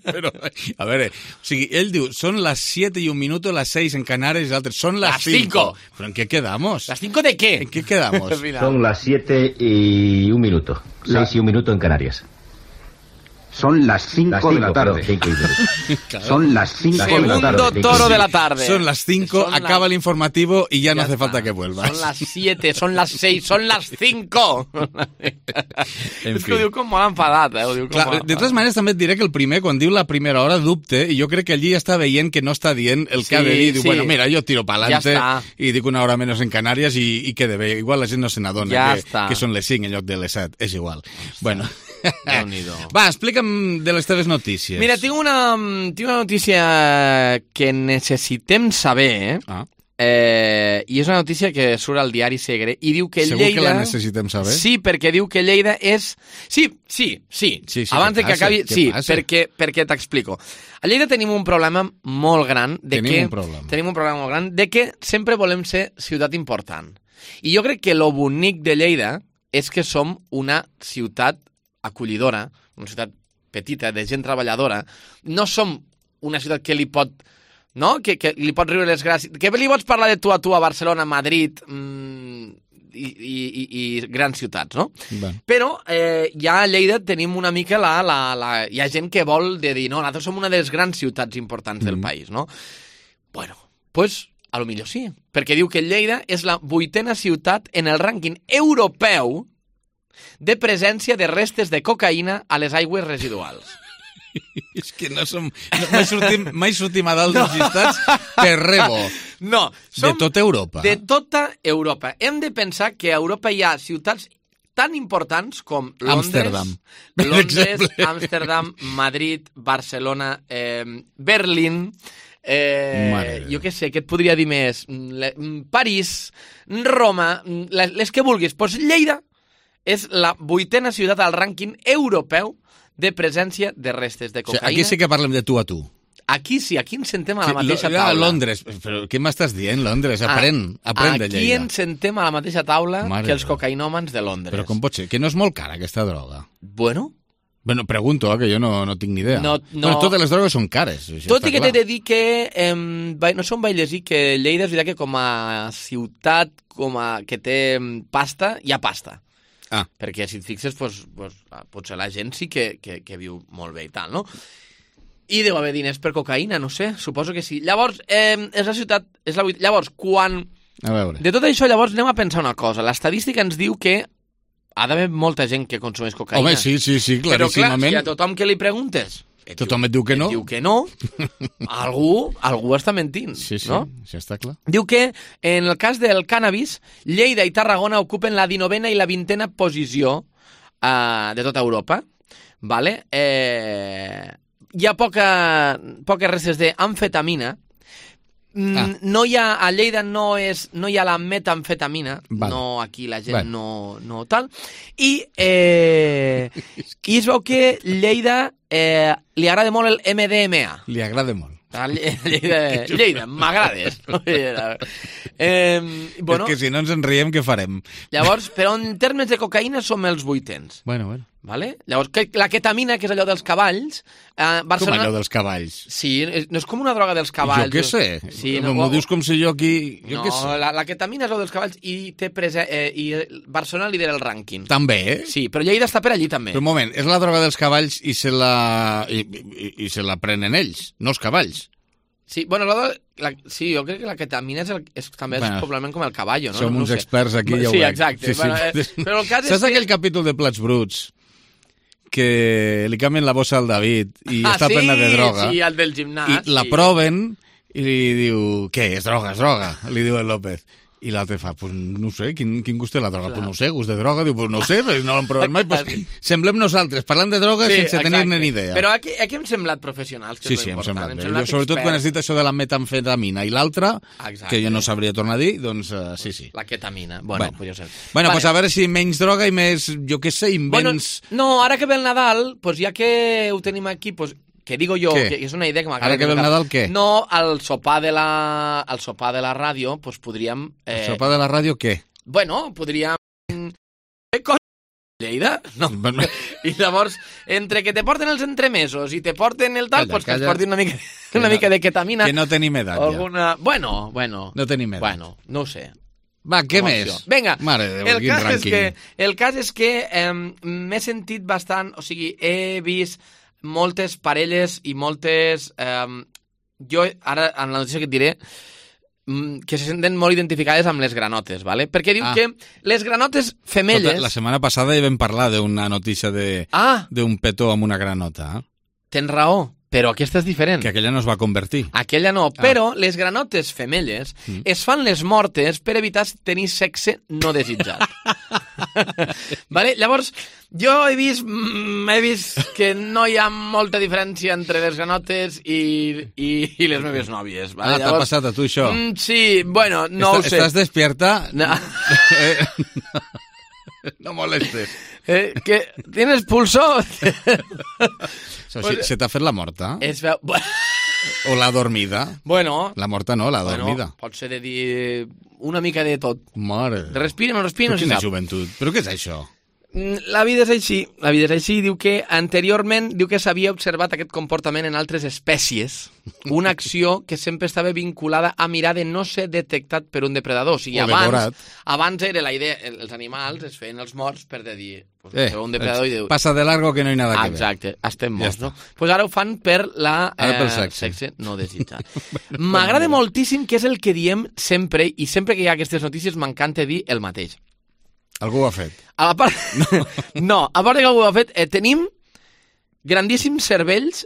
Però, a veure, o sigui, ell diu, son las 7:01, las 6 en Canarias, y l'altre, son las 5. ¿Pero en qué quedamos? ¿Las 5 de qué? ¿En qué quedamos? Son las 7:01. 6:01 en Canarias. Son las 5 de la tarde. 5:01. Son las 5 de la tarde. Segundo toro de la tarde. Son las 5, acaba el informativo y ya no hace falta que vuelvas. Son las 7, son las 6, son las 5. És que ho diu com molt enfadat, Clar, de totes maneres, també et diré que el primer, quan diu la primera hora, dubte, i jo crec que allí ja està veient que no està dient el que ha de dir. Diu, bueno, mira, jo tiro pa'lante i dic una hora menys en Canàries i quede bé. Igual la gent no se n'adona que són les 5 en lloc de les 7. És igual. Bueno... Va, explica'm de les teves notícies. Mira, tinc una notícia que necessitem saber, i és una notícia que surt al diari Segre, i diu que Segur Lleida... que la necessitem saber? Sí, perquè diu que Lleida és... Sí. Abans de que acabi... Sí, perquè t'explico. A Lleida tenim un problema molt gran Tenim un problema molt gran de que sempre volem ser ciutat important. I jo crec que lo bonic de Lleida és que som una ciutat acollidora, una ciutat petita, de gent treballadora. No som una ciutat que li pot... No? Que li pot riure les gràcies... Que li pots parlar de tu a Barcelona, Madrid i grans ciutats, no? Bé. Però ja a Lleida tenim una mica hi ha gent que vol dir, no, nosaltres som una de les grans ciutats importants del país, no? Bueno, pues a lo millor sí, perquè diu que Lleida és la 8a ciutat en el rànquing europeu de presència de restes de cocaïna a les aigües residuals. És que mai sortim a dalt dels llistats per rebo. No, de tota Europa. De tota Europa. Hem de pensar que a Europa hi ha ciutats tan importants com Londres, Amsterdam, Madrid, Barcelona, Berlín... jo què sé, què et podria dir més? París, Roma, les que vulguis. Doncs Lleida és la 8a ciutat al rànquing europeu de presència de restes de cocaïna. Aquí sí que parlem de tu a tu. Aquí sí, aquí ens sentem a la mateixa taula. A Londres, però què m'estàs dient, Londres? Aprèn de Lleida. Aquí ens sentem a la mateixa taula que els cocaïnòmans de Londres. Però com pot ser? Que no és molt cara aquesta droga? Bueno, pregunto, que jo no tinc ni idea. No. Bueno, totes les drogues són cares. Tot i que t'he de dir que no som bailesí, que Lleida és veritat que com a ciutat que té pasta, hi ha pasta. Perquè si et fixes, potser la gent sí que viu molt bé i tal, no? I deu haver diners per cocaïna, no sé, suposo que sí. Llavors, és la ciutat... Llavors, quan... A veure. De tot això, llavors, anem a pensar una cosa. L'estadística ens diu que ha d'haver molta gent que consumeix cocaïna. Home, sí, claríssimament. Però clar, si a tothom que li preguntes... Tothom et diu que no. Diu que no. Algú està mentint, no? Sí, està clar. Diu que, en el cas del cànnabis, Lleida i Tarragona ocupen la 19a i la 20a posició de tota Europa. Vale? Hi ha poques restes d'amfetamina. No hi ha, a Lleida no hi ha la metamfetamina, no, aquí la gent no tal, i es veu que Lleida li agrada molt el MDMA. Li agrada molt. Lleida, m'agrades. És que si no ens en riem, què farem? Llavors, però en termes de cocaïna som els 800. Bueno. Vale? Llavors, la ketamina, que és allò dels cavalls... Barcelona... Com allò dels cavalls? Sí, no és com una droga dels cavalls. Jo què sé? Sí, m'ho dius com si jo aquí... La ketamina és allò dels cavalls i Barcelona lidera el rànquing. També? Sí, però Lleida està per allí també. Però un moment, és la droga dels cavalls i se la prenen ells, no els cavalls. Sí, bueno, sí, jo crec que la ketamina és també probablement com el caballo, no? Som uns experts aquí, ja ho veig. Sí, exacte. Sí. Però el cas saps aquell capítol de Plats Bruts que li canvien la bossa al David i està plena de droga? Sí, el del gimnàs. I la proven i li diu, què, és droga, li diu el López. I l'altre fa, pues no sé, quin gust té la droga? Pues no sé, gust de droga. Diu, pues no sé, no l'hem provat mai. Pues semblem nosaltres, parlant de droga sense tenir-ne ni idea. Però aquí hem semblat professionals, que és sí, important. Hem semblat bé. Sobretot quan has dit això de la metamfetamina i l'altra, que jo no sabria tornar a dir, doncs sí. La ketamina, bueno, podria ser. Bueno, pues a veure si menys droga i més, jo què sé, invents... No, ara que ve el Nadal, pues ja que ho tenim aquí, pues... que digo jo, que és una idea que m'acaba... Ara que ve el Nadal, què? No, al sopar de la ràdio, doncs podríem... El sopar de la ràdio, què? Bueno, podríem... Lleida? No. I llavors, entre que te porten els entremesos i te porten el tal, doncs que es portin una mica de ketamina. Que no tenim edat, ja. Bueno. No tenim edat. Bueno, no ho sé. Va, què més? Vinga, Mare de Déu, quin rànquing. El cas és que m'he sentit bastant... O sigui, he vist moltes parelles i moltes... jo, ara, en la notícia que et diré, que se senten molt identificades amb les granotes, ¿vale? Perquè diu que les granotes femelles... La setmana passada ja vam parlar d'una notícia d'un petó amb una granota. Tens raó, però aquesta és diferent. Que aquella no es va convertir. Aquella no, però les granotes femelles es fan les mortes per evitar tenir sexe no desitjat. Vale? Llavors, jo he vist que no hi ha molta diferència entre les granotes i les meves nòvies. Vale? T'ha passat a tu això? Sí, bueno, no ho sé. ¿Estás despierta? No. No molestes. ¿Tienes pulso? ¿Se t'ha fet la morta? Es veu... O la dormida? Bueno... La morta no, la dormida. Pot ser de dir una mica de tot. Mare... Respira, no respira, no se sap. Quina joventut? Però què és això? La vida és així, diu que anteriorment s'havia observat aquest comportament en altres espècies, una acció que sempre estava vinculada a mirar de no ser detectat per un depredador. O sigui, abans era la idea, els animals es feien els morts per dir, un depredador i diu... Passa de largo que no hi nada que ver. Exacte, estem morts, no? Pues ara ho fan per sexe no desitjat. M'agrada moltíssim, que és el que diem sempre, i sempre que hi ha aquestes notícies m'encanta dir el mateix. Algú ho ha fet. A part de que algú ho ha fet, tenim grandíssims cervells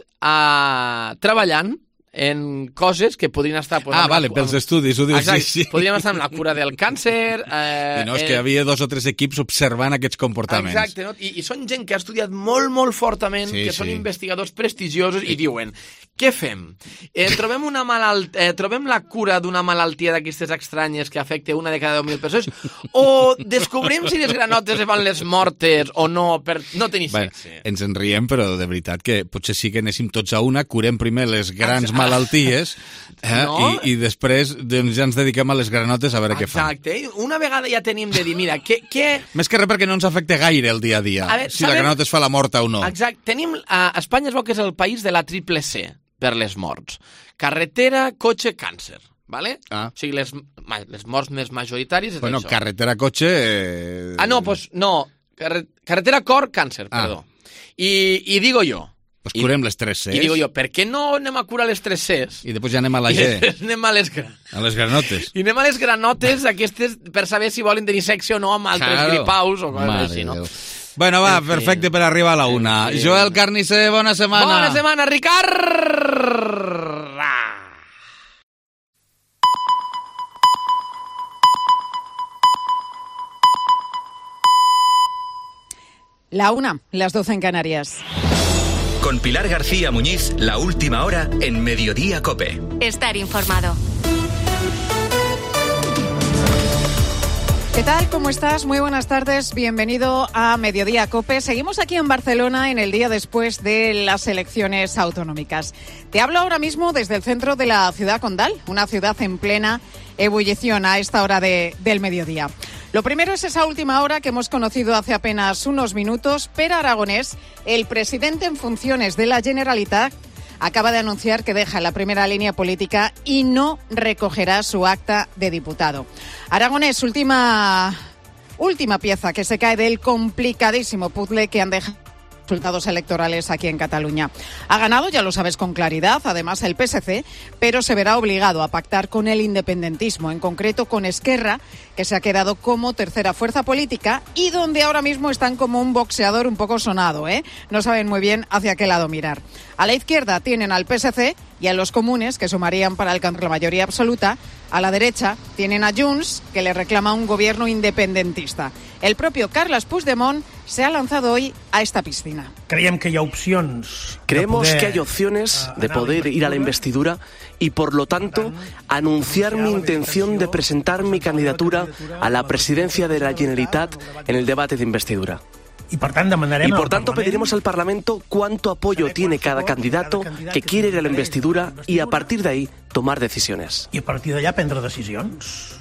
treballant en coses que podrien estar... pels estudis, ho dius. Exacte, sí. podríem estar en la cura del càncer... és que hi havia 2 o 3 equips observant aquests comportaments. Exacte, no? I són gent que ha estudiat molt, molt fortament, que són investigadors prestigiosos i diuen, què fem? Trobem la cura d'una malaltia d'aquestes estranyes que afecta una de cada 10.000 persones o descobrim si les granotes es van les mortes o no per no tenir sexe? Ens en riem, però de veritat que potser sí que anéssim tots a una, curem primer les grans malalties i després ja ens dediquem a les granotes a veure què fan. Exacte. Una vegada ja tenim de dir, mira, què... Més que res perquè no ens afecta gaire el dia a dia, si la granota es fa la morta o no. Exacte. Tenim... Espanya es veu que és el país de la triple C per les morts. Carretera, cotxe, càncer. Vale? O sigui, les morts més majoritàries és això. Carretera, cotxe... No. Carretera cor-càncer, perdó. I digo jo... Pues curem les 3 Cs. I digo jo, per què no anem a curar les 3 Cs? I després ja anem a la G. I anem a les granotes. I anem a les granotes aquestes per saber si volen tenir sexe o no amb altres gripaus o coses així, no? Bueno, va, perfecte per arribar a la 1. Joel Carnicer, bona setmana. Bona setmana, Ricard! La 1, las 12 en Canarias. Con Pilar García Muñiz, la última hora en Mediodía COPE. Estar informado. ¿Qué tal? ¿Cómo estás? Muy buenas tardes. Bienvenido a Mediodía COPE. Seguimos aquí en Barcelona en el día después de las elecciones autonómicas. Te hablo ahora mismo desde el centro de la ciudad condal, una ciudad en plena ebullición a esta hora del mediodía. Lo primero es esa última hora que hemos conocido hace apenas unos minutos. Pere Aragonès, el presidente en funciones de la Generalitat, acaba de anunciar que deja la primera línea política y no recogerá su acta de diputado. Aragonès, última pieza que se cae del complicadísimo puzzle que han dejado resultados electorales aquí en Cataluña. Ha ganado, ya lo sabes, con claridad, además el PSC, pero se verá obligado a pactar con el independentismo, en concreto con Esquerra, que se ha quedado como tercera fuerza política y donde ahora mismo están como un boxeador un poco sonado, ¿eh? No saben muy bien hacia qué lado mirar. A la izquierda tienen al PSC y a los comunes, que sumarían para alcanzar la mayoría absoluta. A la derecha tienen a Junts, que le reclama un gobierno independentista. El propio Carles Puigdemont se ha lanzado hoy a esta piscina. Creemos que hay opciones de poder ir a la investidura y, por lo tanto, anunciar mi intención de presentar mi candidatura a la presidencia de la Generalitat en el debate de investidura. Y por tanto pediremos al Parlamento cuánto apoyo tiene cada candidato que quiere ir a la investidura y a partir de ahí tomar decisiones. Y a partir de allá prendre decisions.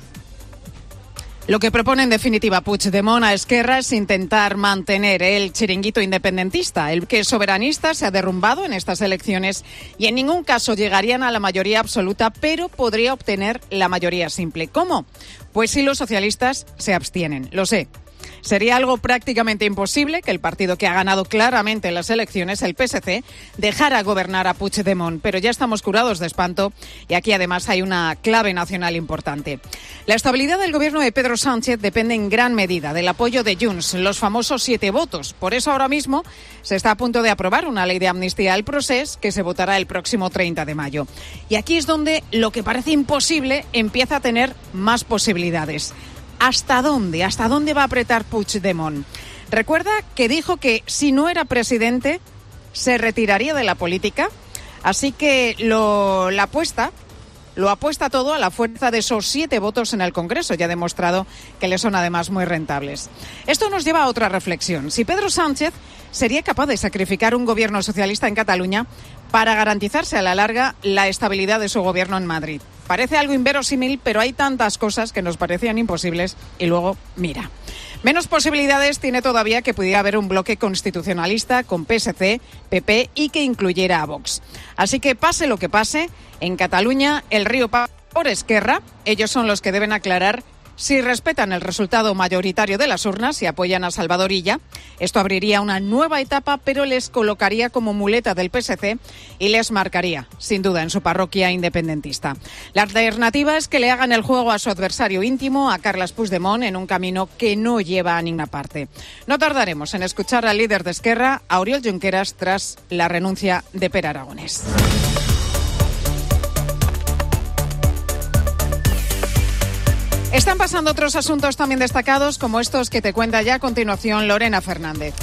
Lo que propone en definitiva Puigdemont a Esquerra es intentar mantener el chiringuito independentista. El que soberanista se ha derrumbado en estas elecciones y en ningún caso llegarían a la mayoría absoluta, pero podría obtener la mayoría simple. ¿Cómo? Pues si los socialistas se abstienen. Lo sé. Sería algo prácticamente imposible que el partido que ha ganado claramente las elecciones, el PSC, dejara gobernar a Puigdemont, pero ya estamos curados de espanto y aquí además hay una clave nacional importante. La estabilidad del gobierno de Pedro Sánchez depende en gran medida del apoyo de Junts, los famosos 7 votos. Por eso ahora mismo se está a punto de aprobar una ley de amnistía al procés que se votará el próximo 30 de mayo. Y aquí es donde lo que parece imposible empieza a tener más posibilidades. ¿Hasta dónde? ¿Hasta dónde va a apretar Puigdemont? Recuerda que dijo que si no era presidente se retiraría de la política, así que lo apuesta todo a la fuerza de esos 7 votos en el Congreso. Ya ha demostrado que le son además muy rentables. Esto nos lleva a otra reflexión. Si Pedro Sánchez sería capaz de sacrificar un gobierno socialista en Cataluña para garantizarse a la larga la estabilidad de su gobierno en Madrid. Parece algo inverosímil, pero hay tantas cosas que nos parecían imposibles y luego, mira. Menos posibilidades tiene todavía que pudiera haber un bloque constitucionalista con PSC, PP y que incluyera a Vox. Así que pase lo que pase, en Cataluña el río pasa por Esquerra. Ellos son los que deben aclarar si respetan el resultado mayoritario de las urnas y apoyan a Salvador Illa. Esto abriría una nueva etapa, pero les colocaría como muleta del PSC y les marcaría, sin duda, en su parroquia independentista. La alternativa es que le hagan el juego a su adversario íntimo, a Carles Puigdemont, en un camino que no lleva a ninguna parte. No tardaremos en escuchar al líder de Esquerra, a Oriol Junqueras, tras la renuncia de Pere Aragonès. Están pasando otros asuntos también destacados, como estos que te cuenta ya a continuación Lorena Fernández.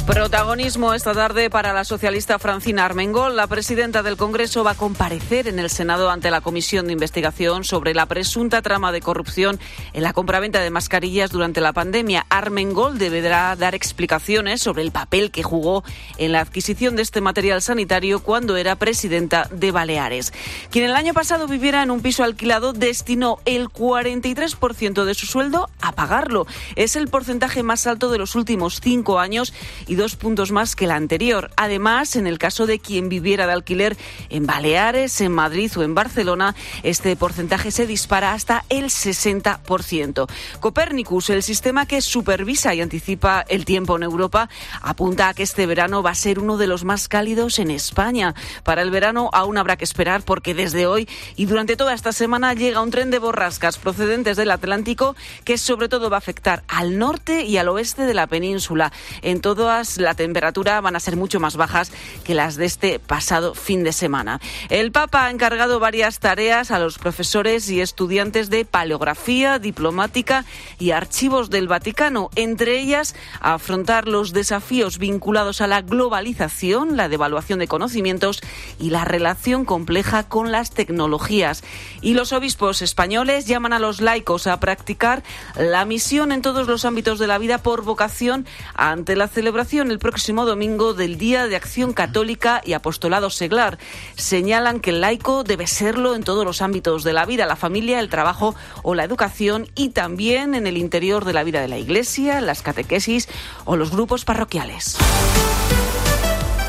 Protagonismo esta tarde para la socialista Francina Armengol. La presidenta del Congreso va a comparecer en el Senado ante la Comisión de Investigación sobre la presunta trama de corrupción en la compraventa de mascarillas durante la pandemia. Armengol deberá dar explicaciones sobre el papel que jugó en la adquisición de este material sanitario cuando era presidenta de Baleares. Quien el año pasado viviera en un piso alquilado destinó el 43% de su sueldo a pagarlo. Es el porcentaje más alto de los últimos 5 años y y 2 puntos más que la anterior. Además, en el caso de quien viviera de alquiler en Baleares, en Madrid o en Barcelona, este porcentaje se dispara hasta el 60%. Copernicus, el sistema que supervisa y anticipa el tiempo en Europa, apunta a que este verano va a ser uno de los más cálidos en España. Para el verano aún habrá que esperar porque desde hoy y durante toda esta semana llega un tren de borrascas procedentes del Atlántico que sobre todo va a afectar al norte y al oeste de la península. En todas la temperatura van a ser mucho más bajas que las de este pasado fin de semana. El Papa ha encargado varias tareas a los profesores y estudiantes de paleografía, diplomática y archivos del Vaticano, entre ellas afrontar los desafíos vinculados a la globalización, la devaluación de conocimientos y la relación compleja con las tecnologías. Y los obispos españoles llaman a los laicos a practicar la misión en todos los ámbitos de la vida por vocación ante la celebración el próximo domingo del Día de Acción Católica y Apostolado Seglar. Señalan que el laico debe serlo en todos los ámbitos de la vida, la familia, el trabajo o la educación, y también en el interior de la vida de la Iglesia, las catequesis o los grupos parroquiales.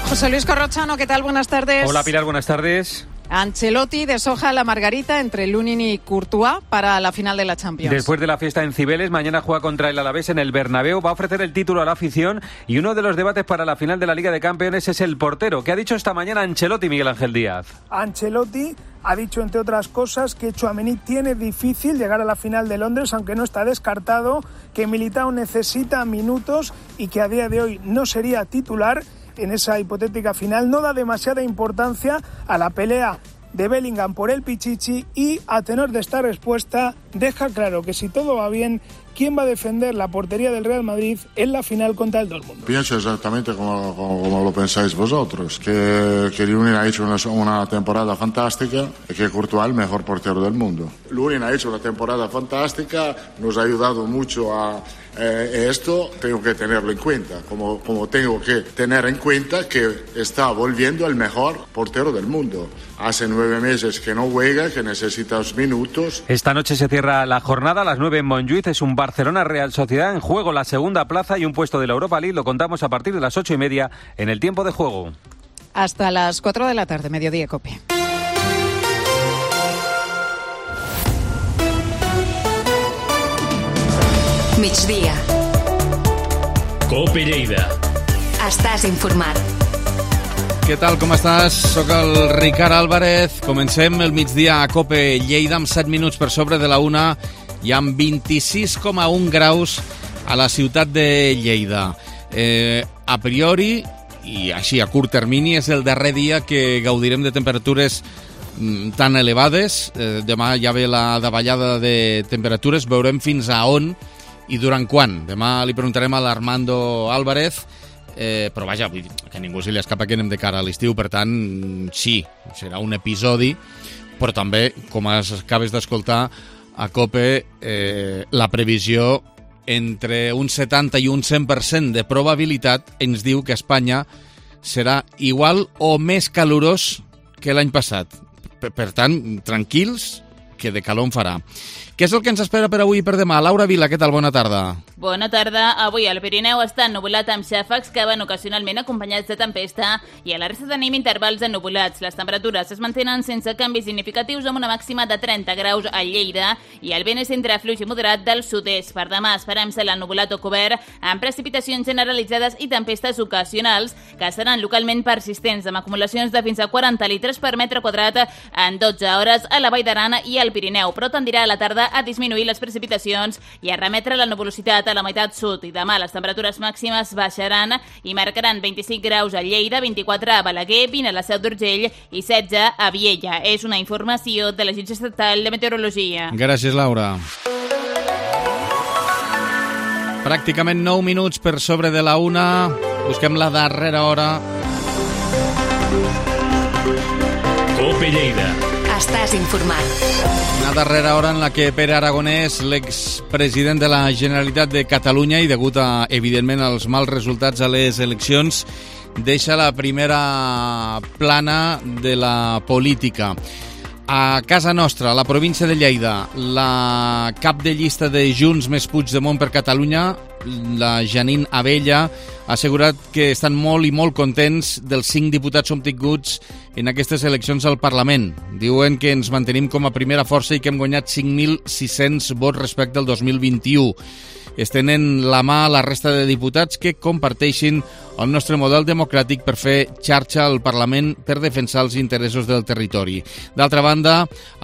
José Luis Corrochano, ¿qué tal? Buenas tardes. Hola Pilar, buenas tardes. Ancelotti deshoja la margarita entre Lunin y Courtois para la final de la Champions. Después de la fiesta en Cibeles, mañana juega contra el Alavés en el Bernabéu. Va a ofrecer el título a la afición y uno de los debates para la final de la Liga de Campeones es el portero. ¿Qué ha dicho esta mañana Ancelotti, Miguel Ángel Díaz? Ancelotti ha dicho, entre otras cosas, que Tchouaméni tiene difícil llegar a la final de Londres, aunque no está descartado, que Militao necesita minutos y que a día de hoy no sería titular en esa hipotética final. No da demasiada importancia a la pelea de Bellingham por el Pichichi y, a tenor de esta respuesta, deja claro que si todo va bien, ¿quién va a defender la portería del Real Madrid en la final contra el Dortmund? Pienso exactamente como lo pensáis vosotros, que Lunin ha hecho una temporada fantástica y que Courtois es el mejor portero del mundo. Lunin ha hecho una temporada fantástica, nos ha ayudado mucho a esto, tengo que tenerlo en cuenta, como tengo que tener en cuenta que está volviendo el mejor portero del mundo. Hace 9 meses que no juega, que necesita minutos. Esta noche se cierra la jornada a las 9 en Montjuïc. Es un Barcelona-Real Sociedad en juego la segunda plaza y un puesto de la Europa League. Lo contamos a partir de las 8:30 en el tiempo de juego. Hasta las 4 de la tarde, mediodía, COPE. Migdia. COPE Lleida. Estàs informat. Què tal, com estàs? Soc el Ricard Álvarez. Comencem el migdia a COPE Lleida amb 7 minuts per sobre de la 1 i amb 26,1 graus a la ciutat de Lleida. A priori, i així a curt termini, és el darrer dia que gaudirem de temperatures tan elevades. Demà ja ve la davallada de temperatures, veurem fins a on i durant quan. Demà li preguntarem a l'Armando Álvarez, però vaja, que ningú se li escapa que anem de cara a l'estiu, per tant, sí, serà un episodi, però també, com acabes d'escoltar, a COPE, la previsió entre un 70 i un 100% de probabilitat ens diu que Espanya serà igual o més calorós que l'any passat. Per tant, tranquils, que de calor en farà. Què és el que ens espera per avui i per demà? Laura Vila, què tal? Bona tarda. Bona tarda. Avui al Pirineu està ennuvolat amb xàfecs que van ocasionalment acompanyats de tempesta i a la resta tenim intervals ennuvolats. Les temperatures es mantenen sense canvis significatius amb una màxima de 30 graus a Lleida i el vent és entre fluix i moderat del sud-est. Per demà esperem cel ennuvolat o cobert amb precipitacions generalitzades i tempestes ocasionals que seran localment persistents amb acumulacions de fins a 40 litres per metre quadrat en 12 hores a la Vall d'Aran i al Pirineu, però tendirà a la tarda a disminuir les precipitacions i a remetre la nuvolositat a la meitat sud. I demà les temperatures màximes baixaran i marcaran 25 graus a Lleida, 24 a Balaguer, 20 a la Seu d'Urgell i 16 a Viella. És una informació de l'Agència Estatal de Meteorologia. Gràcies, Laura. Pràcticament 9 minuts per sobre de la 1. Busquem la darrera hora. COPE Lleida. Estàs informat. Una darrera hora en la que Pere Aragonès, l'expresident de la Generalitat de Catalunya, i degut a, evidentment, als mals resultats a les eleccions, deixa la primera plana de la política. A casa nostra, a la província de Lleida, la cap de llista de Junts més Puigdemont per Catalunya, la Janine Abella, ha assegurat que estan molt i molt contents dels 5 diputats obtinguts en aquestes eleccions al Parlament. Diuen que ens mantenim com a primera força i que hem guanyat 5.600 vots respecte al 2021. Estenen la mà a la resta de diputats que comparteixin el nostre model democràtic per fer xarxa al Parlament per defensar els interessos del territori. D'altra banda,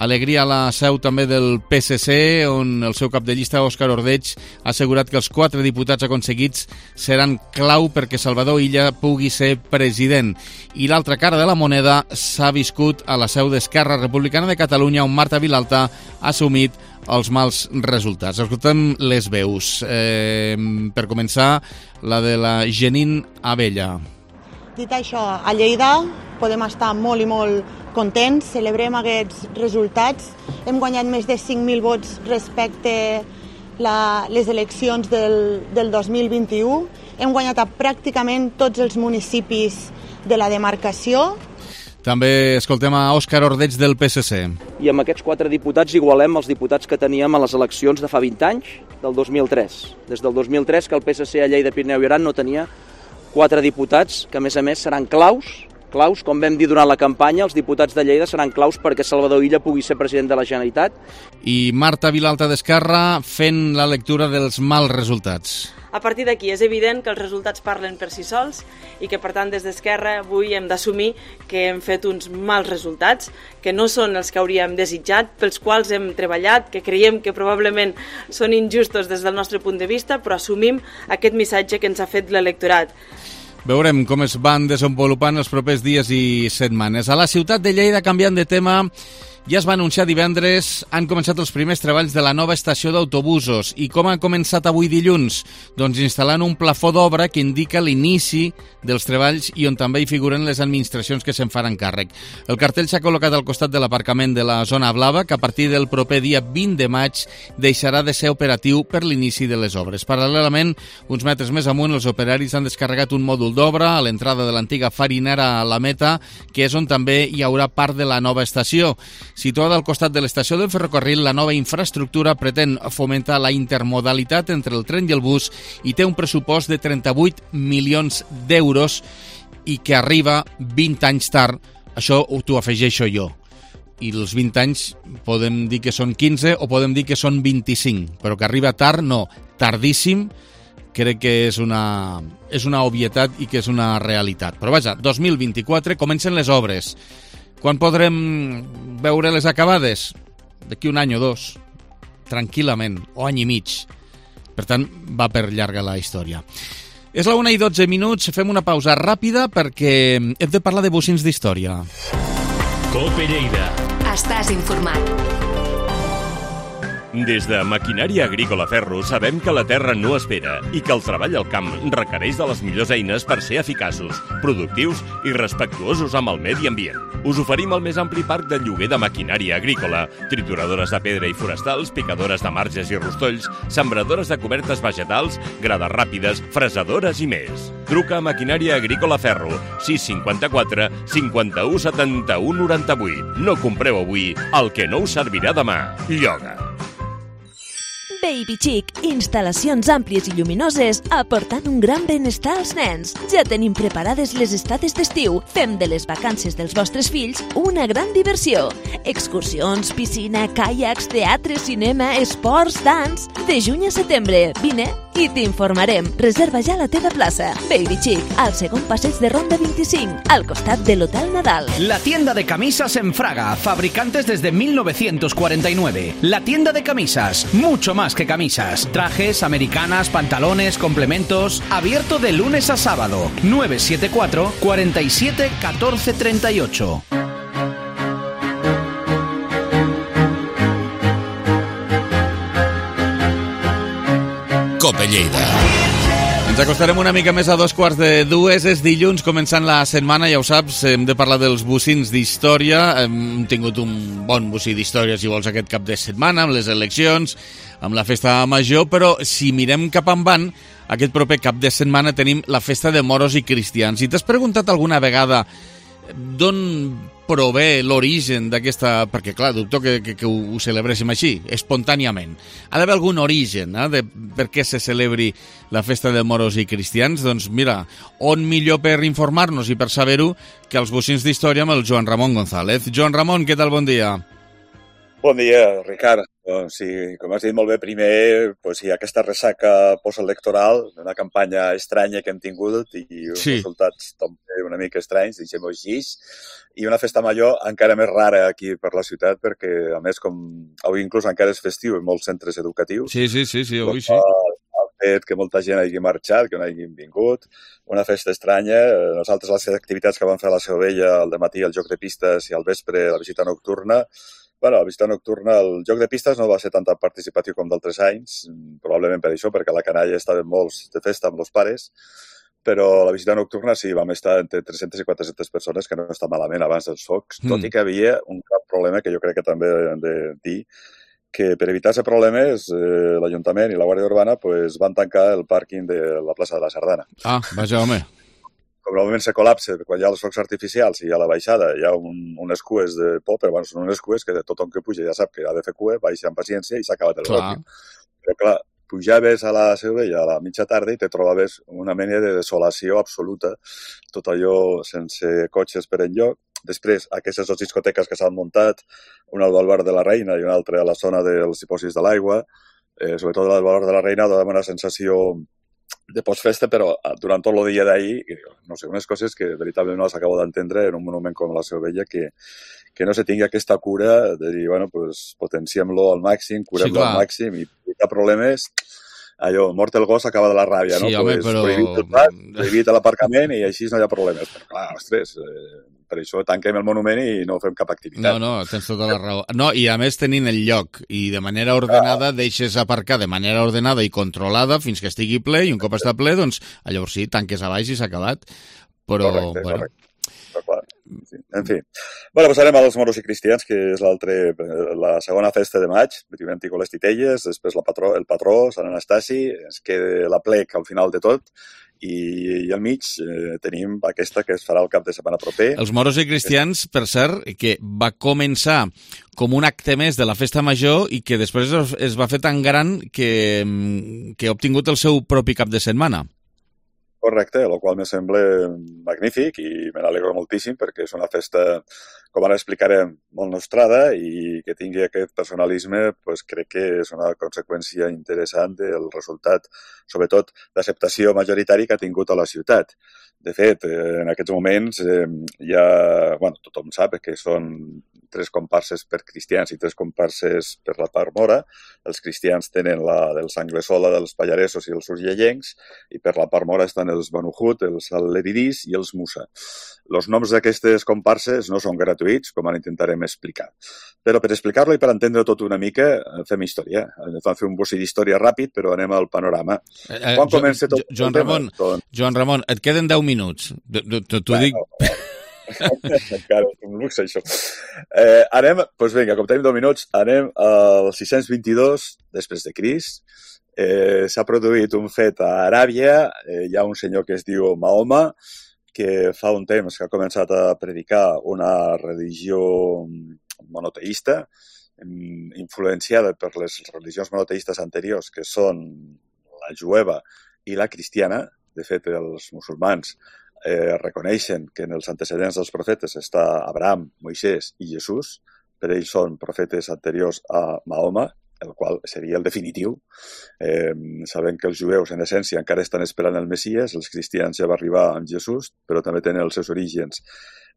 alegria a la seu també del PSC, on el seu cap de llista, Òscar Ordeig, ha assegurat que els 4 diputats aconseguits seran clau perquè Salvador Illa pugui ser president. I l'altra cara de la moneda s'ha viscut a la seu d'Esquerra Republicana de Catalunya, on Marta Vilalta ha assumit els mals resultats. Escoltem les veus. Per començar, la de la Janine Abella. Dit això, a Lleida podem estar molt i molt contents, celebrem aquests resultats. Hem guanyat més de 5.000 vots respecte les eleccions del 2021. Hem guanyat a pràcticament tots els municipis de la demarcació. També escoltem a Òscar Ordeig del PSC. I amb aquests 4 diputats igualem els diputats que teníem a les eleccions de fa 20 anys, del 2003. Des del 2003 que el PSC a Lleida, Pirineu i Aran no tenia 4 diputats que a més seran claus, com vam dir durant la campanya, els diputats de Lleida seran claus perquè Salvador Illa pugui ser president de la Generalitat. I Marta Vilalta d'Esquerra fent la lectura dels mals resultats. A partir d'aquí és evident que els resultats parlen per si sols i que, per tant, des d'Esquerra avui hem d'assumir que hem fet uns mals resultats, que no són els que hauríem desitjat, pels quals hem treballat, que creiem que probablement són injustos des del nostre punt de vista, però assumim aquest missatge que ens ha fet l'electorat. Veurem com es van desenvolupant els propers dies i setmanes. A la ciutat de Lleida, canviant de tema, ja es va anunciar divendres, han començat els primers treballs de la nova estació d'autobusos. I com han començat avui dilluns? Doncs instal·lant un plafó d'obra que indica l'inici dels treballs i on també hi figuren les administracions que se'n faran càrrec. El cartell s'ha col·locat al costat de l'aparcament de la zona blava, que a partir del proper dia 20 de maig deixarà de ser operatiu per l'inici de les obres. Paral·lelament, uns metres més amunt, els operaris han descarregat un mòdul d'obra a l'entrada de l'antiga farinera a la Meta, que és on també hi haurà part de la nova estació. Situada al costat de l'estació del ferrocarril, la nova infraestructura pretén fomentar la intermodalitat entre el tren i el bus i té un pressupost de 38 milions d'euros i que arriba 20 anys tard. Això t'ho afegeixo jo. I els 20 anys podem dir que són 15 o podem dir que són 25, però que arriba tard, no, tardíssim, crec que és una obvietat i que és una realitat. Però vaja, 2024 comencen les obres. Quan podrem veure les acabades? D'aquí un any o dos, tranquil·lament, o any i mig. Per tant, va per llarga la història. És la 1:12, fem una pausa ràpida perquè hem de parlar de bocins d'història. Cope Lleida. Estàs informat. Des de Maquinària Agrícola Ferro sabem que la terra no espera i que el treball al camp requereix de les millors eines per ser eficaços, productius i respectuosos amb el medi ambient. Us oferim el més ampli parc de lloguer de maquinària agrícola, trituradores de pedra i forestals, picadores de marges i rostolls, sembradores de cobertes vegetals, grades ràpides, fresadores i més. Truca a Maquinària Agrícola Ferro, 654 51 71 98. No compreu avui el que no us servirà demà. Lloga. Baby Chic, instal·lacions àmplies i lluminoses aportant un gran benestar als nens. Ja tenim preparades les estades d'estiu. Fem de les vacances dels vostres fills una gran diversió. Excursions, piscina, caiacs, teatre, cinema, esports, dans... De juny a setembre. Vine i t'informarem. Reserva ja la teva plaça. Baby Chic, al segon passeig de Ronda 25, al costat de l'Hotel Nadal. La tienda de camisas en Fraga, fabricantes desde 1949. La tienda de camisas, mucho más que camisas. Trajes, americanas, pantalones, complementos. Abierto de lunes a sábado. 974 47 14 38. Cope Lleida. Ens acostarem una mica més a 2:45. És dilluns, començant la setmana, ja ho saps, hem de parlar dels bocins d'història. Hem tingut un bon bocí d'història, si vols, aquest cap de setmana, amb les eleccions, amb la festa major, però si mirem cap endavant, aquest proper cap de setmana tenim la festa de moros i cristians. Si t'has preguntat alguna vegada d'on prové l'origen d'aquesta... Perquè, clar, dubto que ho celebréssim així, espontàniament. Ha d'haver algun origen de per què se celebri la festa de moros i cristians? Doncs mira, on millor per informar-nos i per saber-ho que els bocins d'història amb el Joan Ramon González. Joan Ramon, què tal? Bon dia. Bon dia, Ricard. Doncs sí, com has dit molt bé, primer hi ha aquesta ressaca postelectoral d'una campanya estranya que hem tingut i uns resultats també una mica estranys, deixem-ho així, i una festa major encara més rara aquí per la ciutat perquè, a més, com avui inclús encara és festiu en molts centres educatius. Sí, avui sí. El fet que molta gent hagi marxat, que no hagin vingut, una festa estranya. Nosaltres les activitats que vam fer a la Seu Vella al dematí, el joc de pistes i al vespre la visita nocturna. Bueno, la visita nocturna, el joc de pistes no va ser tan participatiu com d'altres anys, probablement per això, perquè a la canalla estaven molts de festa amb els pares, però la visita nocturna sí, vam estar entre 300 i 400 persones, que no està malament abans dels focs, tot i que havia un gran problema que jo crec que també hem de dir, que per evitar-se problemes l'Ajuntament i la Guàrdia Urbana van tancar el pàrquing de la plaça de la Sardana. Ah, vaja, home. Com normalment se col·lapsa quan hi ha els focs artificials i a la baixada hi ha unes cues de por, però bueno, són unes cues que tothom que puja ja sap que ha de fer cua, baixa amb paciència i s'ha acabat el ròquim. Però clar, pujaves a la Seu Vella a la mitja tarda i te trobaves una mena de desolació absoluta, tot allò sense cotxes per enlloc. Després, aquestes dues discoteques que s'han muntat, una al Balbar de la Reina i una altra a la zona dels dipòsits de l'aigua, sobretot al Balbar de la Reina, donava una sensació de postfesta, però durant tot el dia d'ahir, no sé, unes coses que veritablement no les acabo d'entendre en un monument com la Seu Vella, que no se tingui aquesta cura de dir, bueno, pues potenciem-lo al màxim, curem-lo al màxim i hi ha problemes, allò, mort el gos acaba de la ràbia, no? Sí, home, però... Prohibit l'aparcament i així no hi ha problemes. Però clar, ostres, per això tanquem el monument i no fem cap activitat. No, tens tota la raó. No, i a més tenint el lloc i de manera ordenada deixes aparcar de manera ordenada i controlada fins que estigui ple i un cop està ple, doncs llavors sí, tanques a baix i s'ha acabat. Però, correcte. Però, clar, sí. En fi. Bueno, passarem als moros i cristians, que és la segona festa de maig. Primer han tingut les titelles, després el patró, Sant Anastasi, es queda la plec al final de tot, i al mig tenim aquesta que es farà el cap de setmana proper. Els moros i cristians, per cert, que va començar com un acte més de la festa major i que després es va fer tan gran que ha obtingut el seu propi cap de setmana. Correcte, el qual me sembla magnífic i me n'alegro moltíssim perquè és una festa, com ara explicarem, molt nostrada i que tingui aquest personalisme, doncs crec que és una conseqüència interessant del resultat, sobretot d'acceptació majoritària que ha tingut a la ciutat. De fet, en aquests moments tothom sap que són 3 comparses per cristians i 3 comparses per la part mora. Els cristians tenen la dels Anglesola, dels Pallaresos i els urgellencs, i per la part mora estan els Banuhut, els Al-Leridís i els Musa. Els noms d'aquestes comparses no són gratuïts, com ara intentarem explicar. Però per explicar-lo i per entendre tot una mica, fem història. Vam fer un bocí d'història ràpid, però anem al panorama. Quan comença tot Joan Ramon, et queden 10 minuts. T'ho dic... Encara és un luxe, això. Anem, doncs vinga, com tenim 2 minuts, anem al 622 després de Crist. S'ha produït un fet a Aràbia, hi ha un senyor que es diu Mahoma, que fa un temps que ha començat a predicar una religió monoteista, influenciada per les religions monoteistes anteriors, que són la jueva i la cristiana. De fet, els musulmans reconeixen que en els antecedents dels profetes està Abraham, Moisès i Jesús. Per ells són profetes anteriors a Mahoma, el qual seria el definitiu. Sabem que els jueus, en essència, encara estan esperant el Messies, els cristians ja va arribar amb Jesús, però també tenen els seus orígens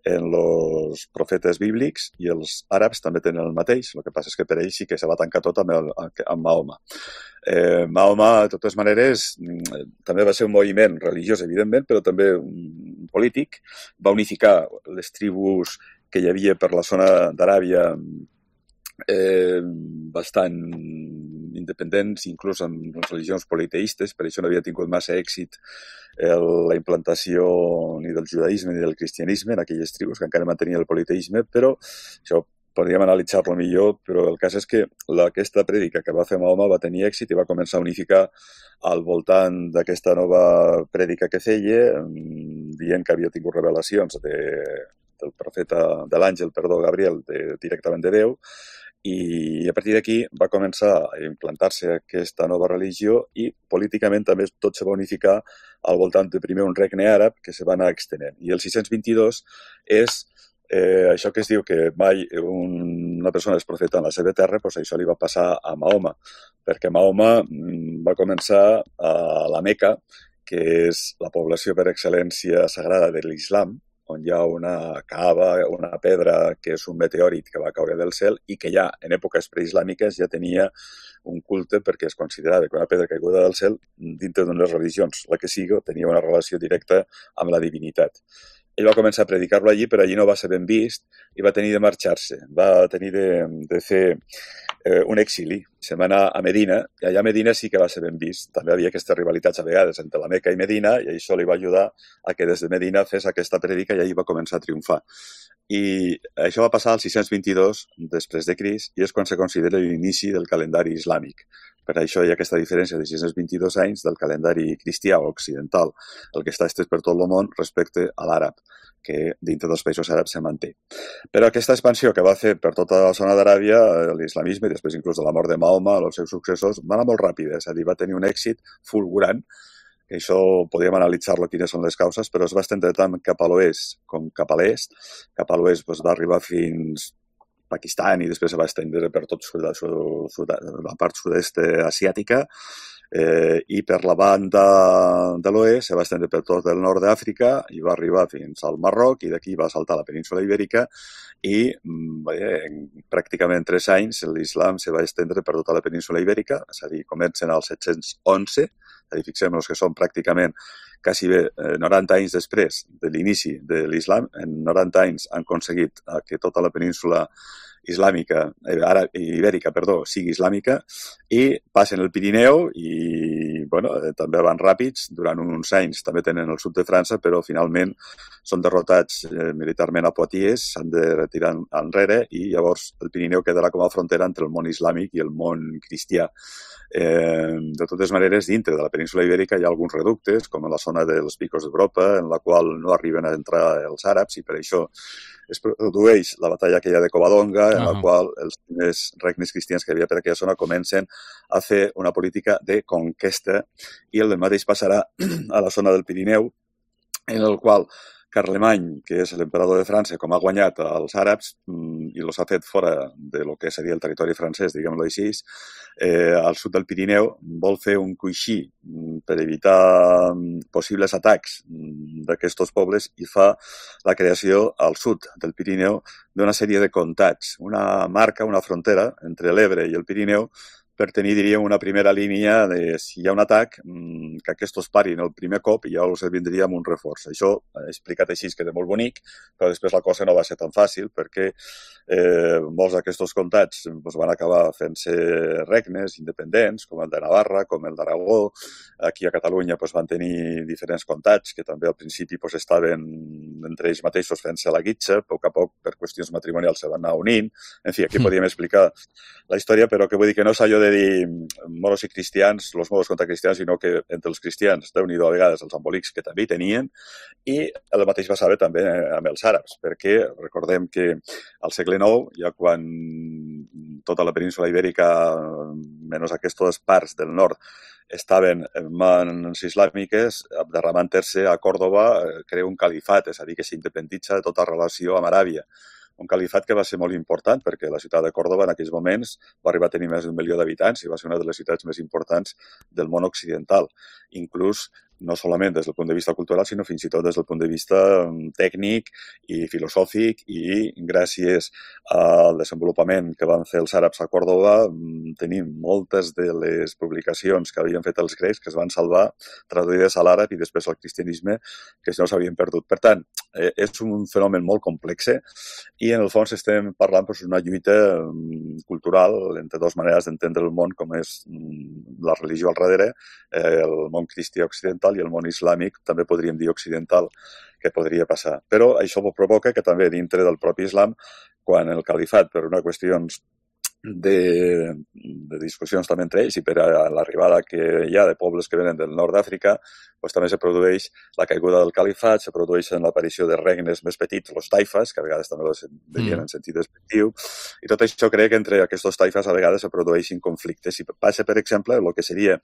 en els profetes bíblics i els àrabs també tenen el mateix. El que passa és que per ells sí que se va tancar tot amb Mahoma. Mahoma, de totes maneres, també va ser un moviment religiós, evidentment, però també un polític. Va unificar les tribus que hi havia per la zona d'Aràbia bastant independents, inclús amb les religions politeistes, per això no havia tingut massa èxit la implantació ni del judaïsme ni del cristianisme en aquelles tribus que encara mantenien el politeisme, però això podríem analitzar-lo millor, però el cas és que aquesta prèdica que va fer Mahoma va tenir èxit i va començar a unificar al voltant d'aquesta nova prèdica que feia, dient que havia tingut revelacions de l'àngel, Gabriel, directament de Déu, i a partir d'aquí va començar a implantar-se aquesta nova religió i políticament també tot se va unificar al voltant de primer un regne àrab que se va anar extenent. I el 622 és això que es diu que mai una persona és profeta en la seva terra, doncs això li va passar a Mahoma, perquè Mahoma va començar a la Meca, que és la població per excel·lència sagrada de l'Islam, on hi ha una cava, una pedra que és un meteorit que va caure del cel i que ja en èpoques preislàmiques ja tenia un culte perquè es considerava que una pedra caiguda del cel dintre d'unes religions, la que sigui, tenia una relació directa amb la divinitat. Ell va començar a predicar-lo allí, però allí no va ser ben vist i va tenir de marxar-se. Va tenir de fer un exili. Se va anar a Medina i allà a Medina sí que va ser ben vist. També havia aquestes rivalitats a vegades entre la Meca i Medina i això li va ajudar a que des de Medina fes aquesta predica i allí va començar a triomfar. I això va passar al 622 després de Crist i és quan se considera l'inici del calendari islàmic. Per això hi ha aquesta diferència de 622 anys del calendari cristià o occidental, el que està estès per tot el món respecte a l'àrab, que dintre dels països àrabs se manté. Però aquesta expansió que va fer per tota la zona d'Aràbia, l'islamisme, i després inclús de la mort de Mahoma, els seus successors, va anar molt ràpida, és a dir, va tenir un èxit fulgurant, que això podríem analitzar-lo quines són les causes, però es va estendre tant cap a l'oest com cap a l'est. Cap a l'oest va arribar fins Pakistan i després se va estendre per tot la part sud-est asiàtica i per la banda de l'oest se va estendre per tot el nord d'Àfrica i va arribar fins al Marroc i d'aquí va saltar a la península Ibèrica i en pràcticament 3 anys l'islam se va estendre per tota la península Ibèrica, és a dir, comencen al 711, és a dir, fixem-nos que són pràcticament quasi bé 90 anys després de l'inici de l'islam, en 90 anys han aconseguit que tota la península ibèrica, sigui islàmica i passen el Pirineu i també van ràpids, durant uns anys també tenen el sud de França, però finalment són derrotats militarment a Poitiers, s'han de retirar enrere i llavors el Pirineu quedarà com a frontera entre el món islàmic i el món cristià. De totes maneres, dintre de la península ibèrica hi ha alguns reductes, com a la zona dels Picos d'Europa, en la qual no arriben a entrar els àrabs i per això es produeix la batalla aquella de Covadonga, en la qual els primers regnes cristians que hi havia per aquella zona comencen a fer una política de conquesta i el mateix passarà a la zona del Pirineu, en el qual Carlemany, que és l'emperador de França, com ha guanyat als àrabs i els ha fet fora de lo que seria el territori francès, diguem-lo així, al sud del Pirineu, vol fer un coixí per evitar possibles atacs d'aquests pobles i fa la creació al sud del Pirineu d'una sèrie de comtats, una marca, una frontera entre l'Ebre i el Pirineu per tenir, diríem, una primera línia de si hi ha un atac, que aquests parin el primer cop i ja els vindríem un reforç. Això, explicat així, queda molt bonic, però després la cosa no va ser tan fàcil perquè molts d'aquests comtats van acabar fent-se regnes independents, com el de Navarra, com el d'Aragó. Aquí a Catalunya van tenir diferents comtats que també al principi estaven entre ells mateixos fent-se la guitxa, a poc a poc per qüestions matrimonials se van anar unint. En fi, aquí podríem explicar la història, però que vull dir que no és allò de dir moros i cristians, els moros contra cristians, sinó que entre els cristians, Déu-n'hi-do a vegades els embolics que també hi tenien, i el mateix passava també amb els àrabs, perquè recordem que al segle IX, ja quan tota la península ibèrica, menys aquestes parts del nord, estaven en mans islàmiques, derramant-se a Còrdova crea un califat, és a dir, que s'independitza de tota relació amb Aràbia. Un califat que va ser molt important perquè la ciutat de Còrdova en aquells moments va arribar a tenir més d'1 milió d'habitants i va ser una de les ciutats més importants del món occidental. Inclús no solament des del punt de vista cultural, sinó fins i tot des del punt de vista tècnic i filosòfic i gràcies al desenvolupament que van fer els àrabs a Còrdova tenim moltes de les publicacions que havien fet els grecs que es van salvar traduïdes a l'àrab i després al cristianisme que no s'havien perdut. Per tant, és un fenomen molt complex i en el fons estem parlant d'una lluita cultural entre dues maneres d'entendre el món com és la religió al darrere, el món cristià occidental i el món islàmic, també podríem dir occidental, que podria passar. Però això provoca que també dintre del propi islam, quan el califat, per una qüestions de discussions també entre ells i per a l'arribada que hi ha de pobles que venen del nord d'Àfrica, doncs també se produeix la caiguda del califat, se produeixen l'aparició de regnes més petits, els taifes, que a vegades també els veien en sentit despectiu, i tot això crec que entre aquests taifes a vegades se produeixin conflictes. I passa, per exemple, el que seria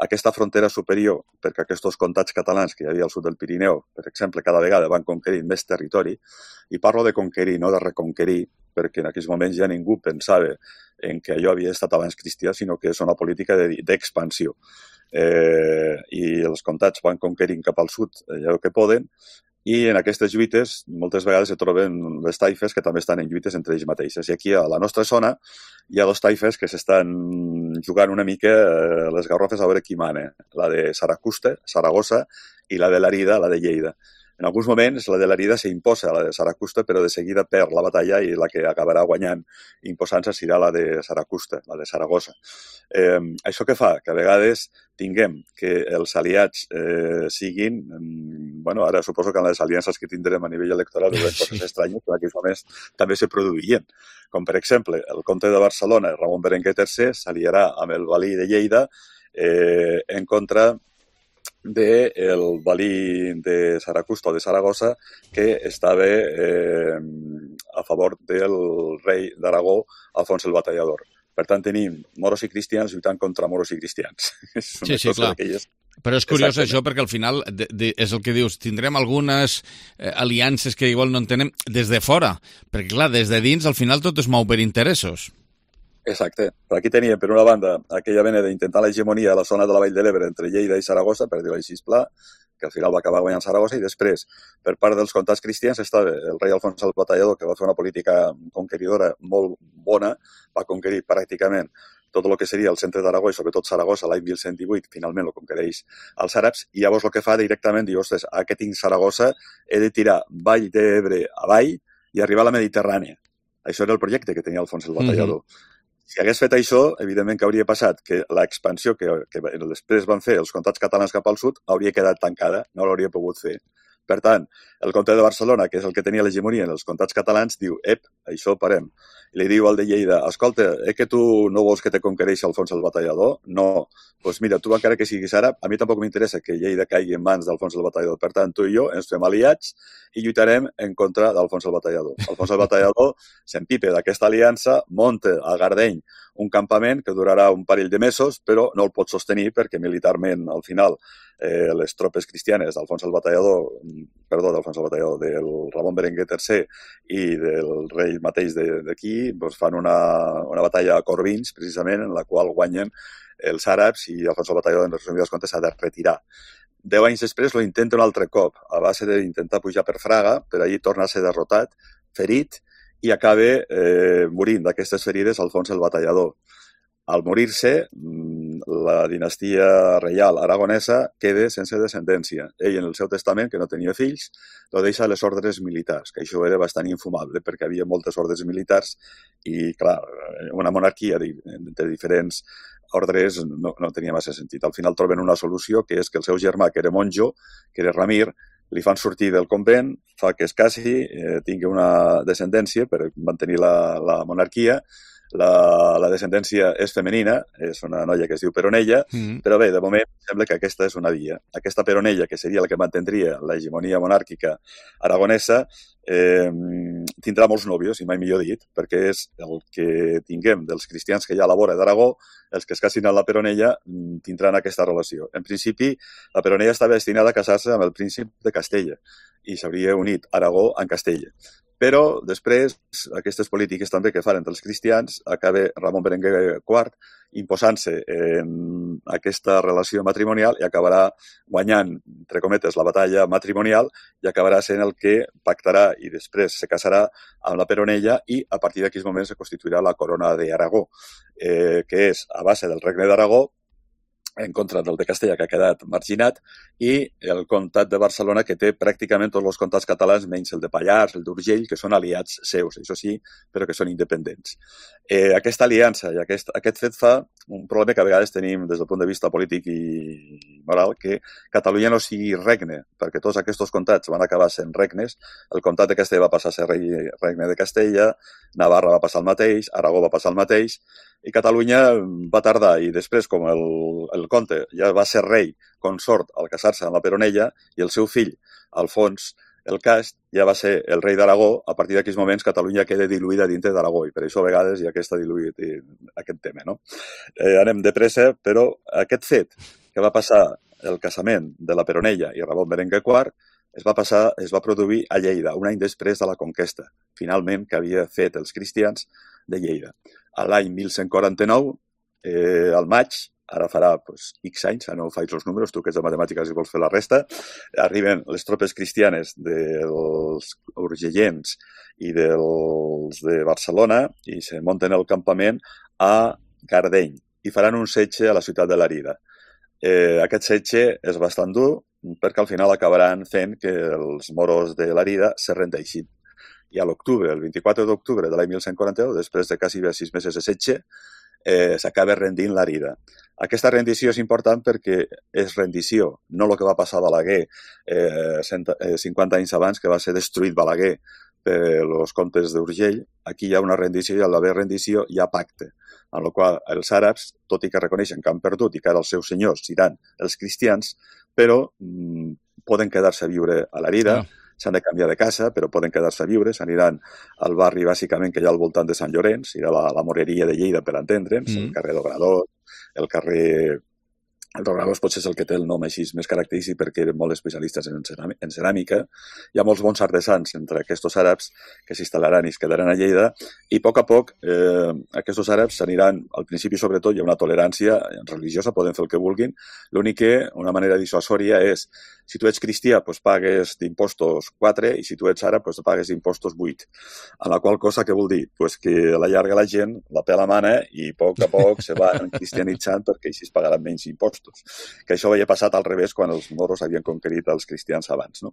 aquesta frontera superior, perquè aquests comtats catalans que hi havia al sud del Pirineu, per exemple, cada vegada van conquerint més territori, i parlo de conquerir, no de reconquerir, perquè en aquells moments ja ningú pensava en que allò havia estat abans cristià, sinó que és una política d'expansió. I els comtats van conquerint cap al sud allò que poden, i en aquestes lluites moltes vegades se troben les taifes que també estan en lluites entre ells mateixes. I aquí a la nostra zona hi ha dos taifes que s'estan jugant una mica les garrofes a veure qui mana, la de Saragossa, i la de Lérida, la de Lleida. En alguns moments la de Lérida s'imposa a la de Saragossa, però de seguida perd la batalla i la que acabarà guanyant imposant-se serà la de Saragossa, la de Saragossa. Això què fa? Que a vegades tinguem que els aliats siguin... Bueno, ara suposo que en les aliances que tindrem a nivell electoral veurem coses estranyes, però en aquells moments també se produïen. Com, per exemple, el comte de Barcelona, Ramon Berenguer III, s'aliarà amb el valí de Lleida en contra del valí de Saragossa o de Saragossa, que estava a favor del rei d'Aragó, Alfons el Batallador. Per tant, tenim moros i cristians lluitant contra moros i cristians. Sí, clar. Però és curiós això perquè al final és el que dius, tindrem algunes aliances que igual no entenem des de fora, perquè clar, des de dins al final tot es mou per interessos. Exacte. Però aquí teníem, per una banda, aquella vena d'intentar l'hegemonia a la zona de la Vall de l'Ebre entre Lleida i Saragossa, per dir-ho així pla, que al final va acabar guanyant Saragossa, i després, per part dels comtats cristians, estava el rei Alfons el Batallador, que va fer una política conqueridora molt bona, va conquerir pràcticament tot el que seria el centre d'Aragó i sobretot Saragossa l'any 1118, finalment el conquereix als àrabs, i llavors el que fa directament, diu, ostres, que tinc Saragossa, he de tirar Vall d'Ebre avall i arribar a la Mediterrània. Això era el projecte que tenia Alfons el Batallador. Si hagués fet això, evidentment que hauria passat que l'expansió que després van fer els comtats catalans cap al sud hauria quedat tancada, no l'hauria pogut fer. Per tant, el comte de Barcelona, que és el que tenia l'hegemonia en els comtats catalans, diu, això parem. I li diu al de Lleida, escolta, que tu no vols que te conquereixi Alfons el Batallador? No. Doncs mira, tu encara que siguis àrab, a mi tampoc m'interessa que Lleida caigui en mans d'Alfons el Batallador. Per tant, tu i jo ens fem aliats i lluitarem en contra d'Alfons el Batallador. Alfons el Batallador s'empipa d'aquesta aliança, munta a Gardeny un campament que durarà un parell de mesos, però no el pot sostenir perquè militarment, al final, les tropes cristianes d'Alfons el Batallador, del Ramon Berenguer III i del rei mateix d'aquí, doncs fan una batalla a Corbins, precisament, en la qual guanyen els àrabs i Alfons el Batallador, en resumides comptes, s'ha de retirar. 10 anys després lo intenta un altre cop, a base d'intentar pujar per Fraga, per allí torna a ser derrotat, ferit, i acaba morint d'aquestes ferides Alfons el Batallador. Al morir-se, la dinastia reial aragonesa queda sense descendència. Ell, en el seu testament, que no tenia fills, lo deixa a les ordres militars, que això era bastant infumable, perquè havia moltes ordres militars i, clar, una monarquia de diferents ordres no tenia massa sentit. Al final troben una solució, que és que el seu germà, que era monjo, que era Ramir, li fan sortir del convent, fa que es casi, tingui una descendència per mantenir la monarquia. La descendència és femenina, és una noia que es diu Peronella, però bé, de moment sembla que aquesta és una via. Aquesta Peronella, que seria la que mantindria l'hegemonia monàrquica aragonesa, tindrà molts nòvios, i mai millor dit, perquè és el que tinguem dels cristians que hi ha a la vora d'Aragó, els que es casin a la Peronella tindran aquesta relació. En principi, la Peronella estava destinada a casar-se amb el príncip de Castella i s'hauria unit Aragó amb Castella. Però després, aquestes polítiques també que fan entre els cristians, acaba Ramon Berenguer IV imposant-se en aquesta relació matrimonial i acabarà guanyant, entre cometes, la batalla matrimonial i acabarà sent el que pactarà i després se casarà amb la Peronella i a partir d'aquells moments se constituirà la corona d'Aragó, que és a base del regne d'Aragó, en contra del de Castella, que ha quedat marginat, i el comtat de Barcelona, que té pràcticament tots els comtats catalans, menys el de Pallars, el d'Urgell, que són aliats seus, això sí, però que són independents. Aquesta aliança i aquest fet fa un problema que a vegades tenim des del punt de vista polític i moral, que Catalunya no sigui regne, perquè tots aquests comtats van acabar sent regnes. El comtat de Castella va passar a ser regne de Castella, Navarra va passar el mateix, Aragó va passar el mateix, i Catalunya va tardar, i després, com el comte ja va ser rei consort al casar-se amb la Peronella, i el seu fill, Alfons el Cast, ja va ser el rei d'Aragó. A partir d'aquells moments Catalunya queda diluïda dintre d'Aragó, i per això a vegades hi ha aquest tema, no? Anem de pressa, però aquest fet que va passar el casament de la Peronella i Ramon Berenguer IV es va produir a Lleida, un any després de la conquesta, finalment, que havia fet els cristians de Lleida. A l'any 1149, al maig, ara farà X anys, no faig els números, tu que ets de matemàtiques i vols fer la resta, arriben les tropes cristianes dels urgellens i dels de Barcelona i se munten el campament a Gardeny i faran un setge a la ciutat de Lérida. Aquest setge és bastant dur perquè al final acabaran fent que els moros de Lérida se rendeixin. I a l'octubre, el 24 d'octubre de l'any 1141, després de quasi 6 mesos de setge, s'acaba rendint Lérida. Aquesta rendició és important perquè és rendició, no el que va passar a Balaguer 50 anys abans, que va ser destruït Balaguer per els comtes d'Urgell. Aquí hi ha una rendició i a l'haver rendició hi ha pacte, en el qual els àrabs, tot i que reconeixen que han perdut i que ara els seus senyors seran els cristians, però poden quedar-se a viure a Lérida, s'han de canviar de casa, però poden quedar-se a viure, s'aniran al barri bàsicament que hi ha al voltant de Sant Llorenç, irà la Moreria de Lleida per entendre'ns, el carrer d'Obrador, el carrer... El Obrador potser és el que té el nom així més característic perquè eren molt especialistes en ceràmica. Hi ha molts bons artesans entre aquests àrabs que s'instal·laran i es quedaran a Lleida, i a poc aquests àrabs s'aniran, al principi sobretot hi ha una tolerància religiosa, poden fer el que vulguin, l'únic que una manera dissuasòria és si tu ets cristià, pagues d'impostos 4 i si tu ets àrab, pagues d'impostos 8. A la qual cosa, què vol dir? Que a la llarga la gent la pela mana i a poc se va cristianitzant perquè així es pagaran menys impostos. Que això havia passat al revés quan els moros havien conquerit els cristians abans. No?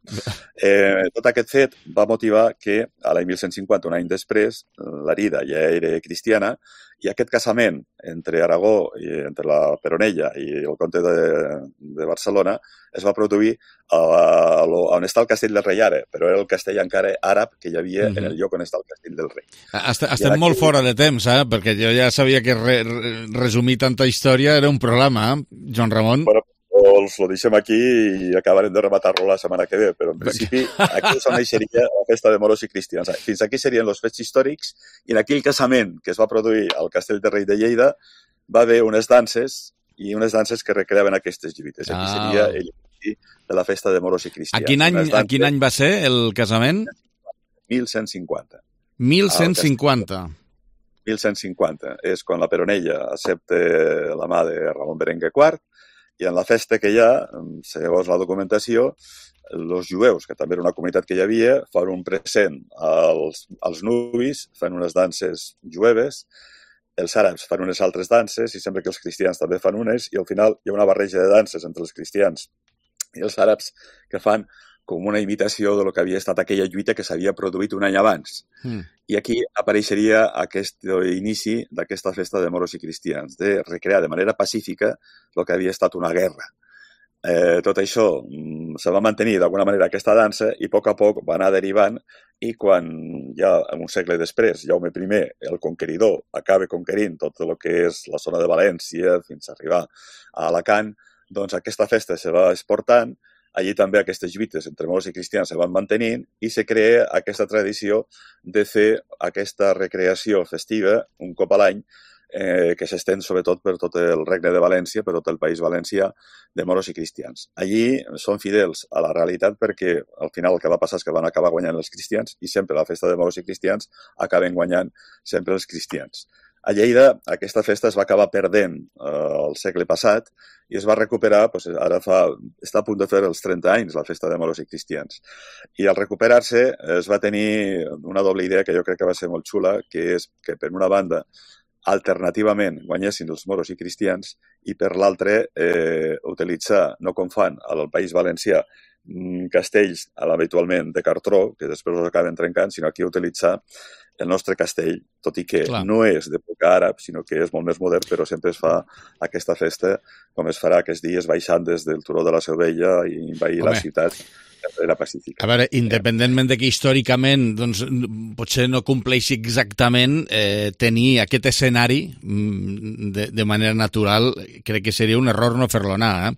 Tot aquest fet va motivar que a l'any 1150, un any després, Lérida ja era cristiana i aquest casament entre Aragó i entre la Peronella i el comte de Barcelona es va produir on està el castell del rei ara, però era el castell encara àrab que hi havia en el lloc on està el castell del rei. Estem molt fora de temps, perquè jo ja sabia que resumir tanta història era un problema, Joan Ramon. Bueno, lo deixem aquí i acabarem de rematar-lo la setmana que ve, però en principi aquí és on naixeria la festa de moros i cristians. Fins aquí serien els fets històrics i en aquell casament que es va produir al castell del rei de Lleida va haver unes danses i unes danses que recreaven aquestes lluites. Aquí seria el de la festa de moros i cristians. A quin any va ser el casament? 1150. 1150. 1150. És quan la Peronella accepta la mà de Ramon Berenguer IV i en la festa que hi ha, segons la documentació, els jueus, que també era una comunitat que hi havia, fan un present als nubis, fan unes danses jueves, els àrabs fan unes altres danses i sembla que els cristians també fan unes i al final hi ha una barreja de danses entre els cristians i els àrabs que fan com una imitació del que havia estat aquella lluita que s'havia produït un any abans. I aquí apareixeria aquest inici d'aquesta festa de moros i cristians, de recrear de manera pacífica el que havia estat una guerra. Tot això se va mantenir d'alguna manera aquesta dansa i a poc va anar derivant i quan ja un segle després Jaume I, el conqueridor, acaba conquerint tot el que és la zona de València fins a arribar a Alacant, doncs aquesta festa se va exportant. Allí també aquestes lluites entre moros i cristians se van mantenint i se crea aquesta tradició de fer aquesta recreació festiva un cop a l'any que s'estén sobretot per tot el regne de València, per tot el país valencià, de moros i cristians. Allí són fidels a la realitat perquè al final el que va passar és que van acabar guanyant els cristians i sempre la festa de moros i cristians acaben guanyant sempre els cristians. A Lleida aquesta festa es va acabar perdent el segle passat i es va recuperar, ara està a punt de fer els 30 anys la festa de moros i cristians. I al recuperar-se es va tenir una doble idea que jo crec que va ser molt xula, que és que per una banda alternativament guanyessin els moros i cristians, i per l'altre utilitzar, no com fan al País Valencià, castells habitualment de cartró, que després els acaben trencant, sinó aquí utilitzar el nostre castell, tot i que no és d'època àrab, sinó que és molt més modern, però sempre es fa aquesta festa, com es farà aquests dies baixant des del turó de la Seu Vella i envair la ciutat era pacífica. A veure, independentment de que històricament doncs, potser no compleixi exactament tenir aquest escenari de manera natural, crec que seria un error no fer-lo anar,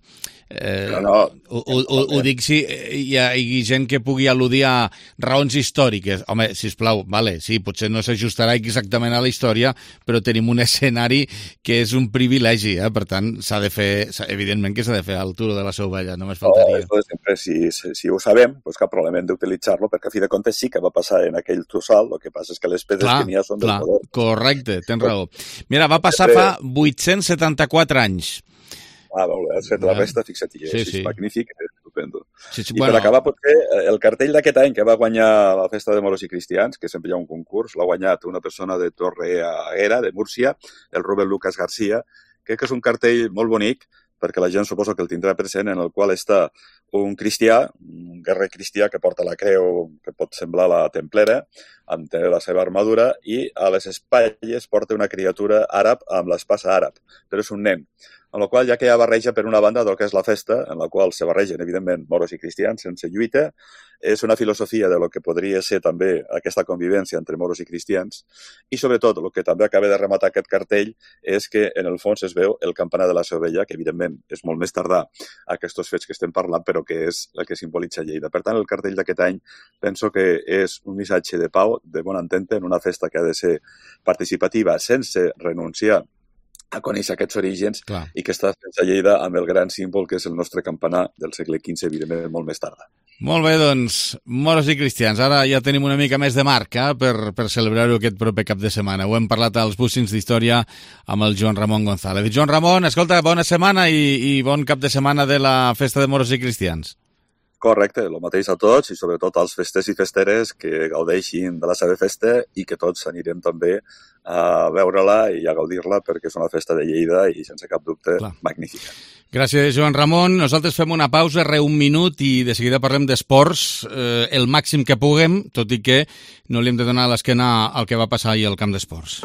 ho dic si hi ha gent que pugui al·ludir a raons històriques. Home, sisplau, vale, sí, potser no s'ajustarà exactament a la història, però tenim un escenari que és un privilegi, per tant, s'ha de fer, evidentment que s'ha de fer al turó de la Seu Vella, només faltaria. No, sempre, si ho sabem, doncs cap problema d'utilitzar-lo, perquè a fi de comptes sí que va passar en aquell tossal, el que passa és que les pedres que n'hi ha són del poder. Correcte, tens raó. Mira, va passar fa 874 anys. Has fet la resta, fixa't, és magnífic, és estupendo. I per acabar, potser, el cartell d'aquest any que va guanyar la festa de moros i cristians, que sempre hi ha un concurs, l'ha guanyat una persona de Torreaguera, de Múrcia, el Rubén Lucas García. Crec que és un cartell molt bonic, perquè la gent suposo que el tindrà present, en el qual està un cristià, un guerrer cristià que porta la creu, que pot semblar la templera, amb la seva armadura, i a les espatlles porta una criatura àrab amb l'espasa àrab, però és un nen. Amb la qual ja que hi ha barreja per una banda del que és la festa, en la qual se barregen, evidentment, moros i cristians sense lluita, és una filosofia de lo que podria ser també aquesta convivència entre moros i cristians, i sobretot el que també acaba de rematar aquest cartell és que en el fons es veu el campanar de la Seu Vella, que evidentment és molt més tardà a aquests fets que estem parlant, però que és el que simbolitza Lleida. Per tant, el cartell d'aquest any penso que és un missatge de pau, de bon entente, en una festa que ha de ser participativa sense renunciar a conèixer aquests orígens i que està fent a Lleida amb el gran símbol que és el nostre campanar del segle XV, evidentment, molt més tarda. Molt bé, doncs, moros i cristians. Ara ja tenim una mica més de marc per celebrar-ho aquest proper cap de setmana. Ho hem parlat als Bussins d'Història amb el Joan Ramon González. Joan Ramon, escolta, bona setmana i bon cap de setmana de la festa de moros i cristians. Correcte, el mateix a tots i sobretot als festers i festeres que gaudeixin de la seva festa i que tots anirem també a veure-la i a gaudir-la perquè és una festa de Lleida i sense cap dubte magnífica. Gràcies, Joan Ramon. Nosaltres fem una pausa, un minut i de seguida parlem d'esports el màxim que puguem, tot i que no li hem de donar l'esquena al que va passar ahir al camp d'esports.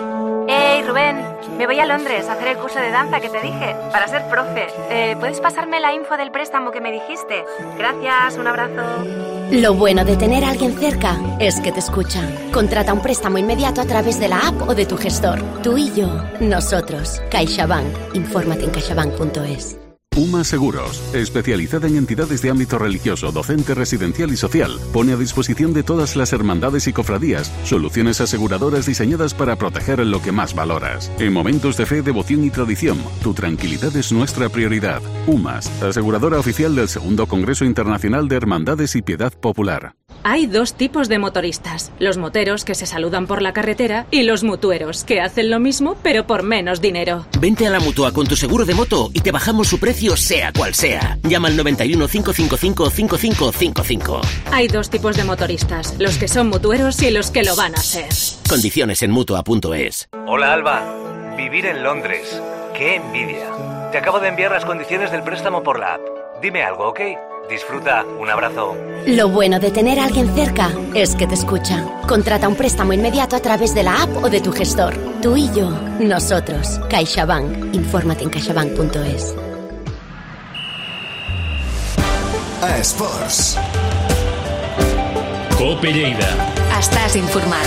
Hey, Rubén, me voy a Londres a hacer el curso de danza que te dije, para ser profe. ¿Puedes pasarme la info del préstamo que me dijiste? Gracias, un abrazo. Lo bueno de tener a alguien cerca es que te escucha. Contrata un préstamo inmediato a través de la app o de tu gestor. Tú y yo, nosotros. CaixaBank. Infórmate en caixabank.es. UMA Seguros, especializada en entidades de ámbito religioso, docente, residencial y social, pone a disposición de todas las hermandades y cofradías soluciones aseguradoras diseñadas para proteger lo que más valoras. En momentos de fe, devoción y tradición, tu tranquilidad es nuestra prioridad. UMAS, aseguradora oficial del Segundo Congreso Internacional de Hermandades y Piedad Popular. Hay dos tipos de motoristas, los moteros que se saludan por la carretera y los mutueros que hacen lo mismo pero por menos dinero. Vente a la Mutua con tu seguro de moto y te bajamos su precio sea cual sea. Llama al 91 555 5555. Hay dos tipos de motoristas, los que son mutueros y los que lo van a ser. Condiciones en Mutua.es. Hola Alba, vivir en Londres, qué envidia. Te acabo de enviar las condiciones del préstamo por la app. Dime algo, ¿ok? Disfruta, un abrazo. Lo bueno de tener a alguien cerca es que te escucha. Contrata un préstamo inmediato a través de la app o de tu gestor. Tú y yo, nosotros. CaixaBank. Infórmate en caixabank.es. Esports. Cope Lleida. Estàs informat.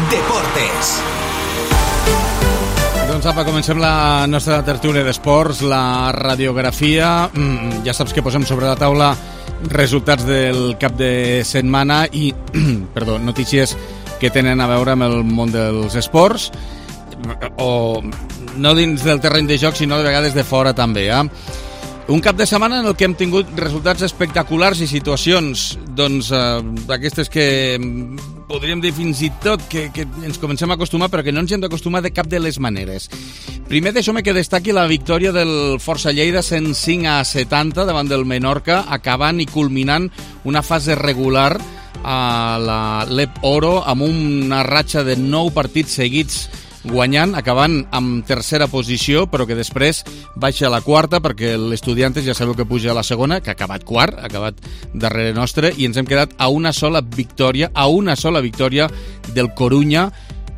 Deportes. Doncs apa, comencem la nostra tertúlia d'esports, la radiografia. Ja saps que posem sobre la taula resultats del cap de setmana i notícies que tenen a veure amb el món dels esports, o no dins del terreny de joc, sinó de vegades de fora també. Un cap de setmana en el que hem tingut resultats espectaculars i situacions d'aquestes que podríem dir fins i tot que ens comencem a acostumar, però que no ens hem d'acostumar de cap de les maneres. Primer deixo-me que destaqui la victòria del Força Lleida 105-70 davant del Menorca, acabant i culminant una fase regular a la Lep Oro amb una ratxa de 9 partits seguits guanyant, acabant amb tercera posició, però que després baixa a la quarta, perquè l'Estudiantes ja sabeu que puja a la segona, que ha acabat quart, ha acabat darrere nostre, i ens hem quedat a una sola victòria del Corunya,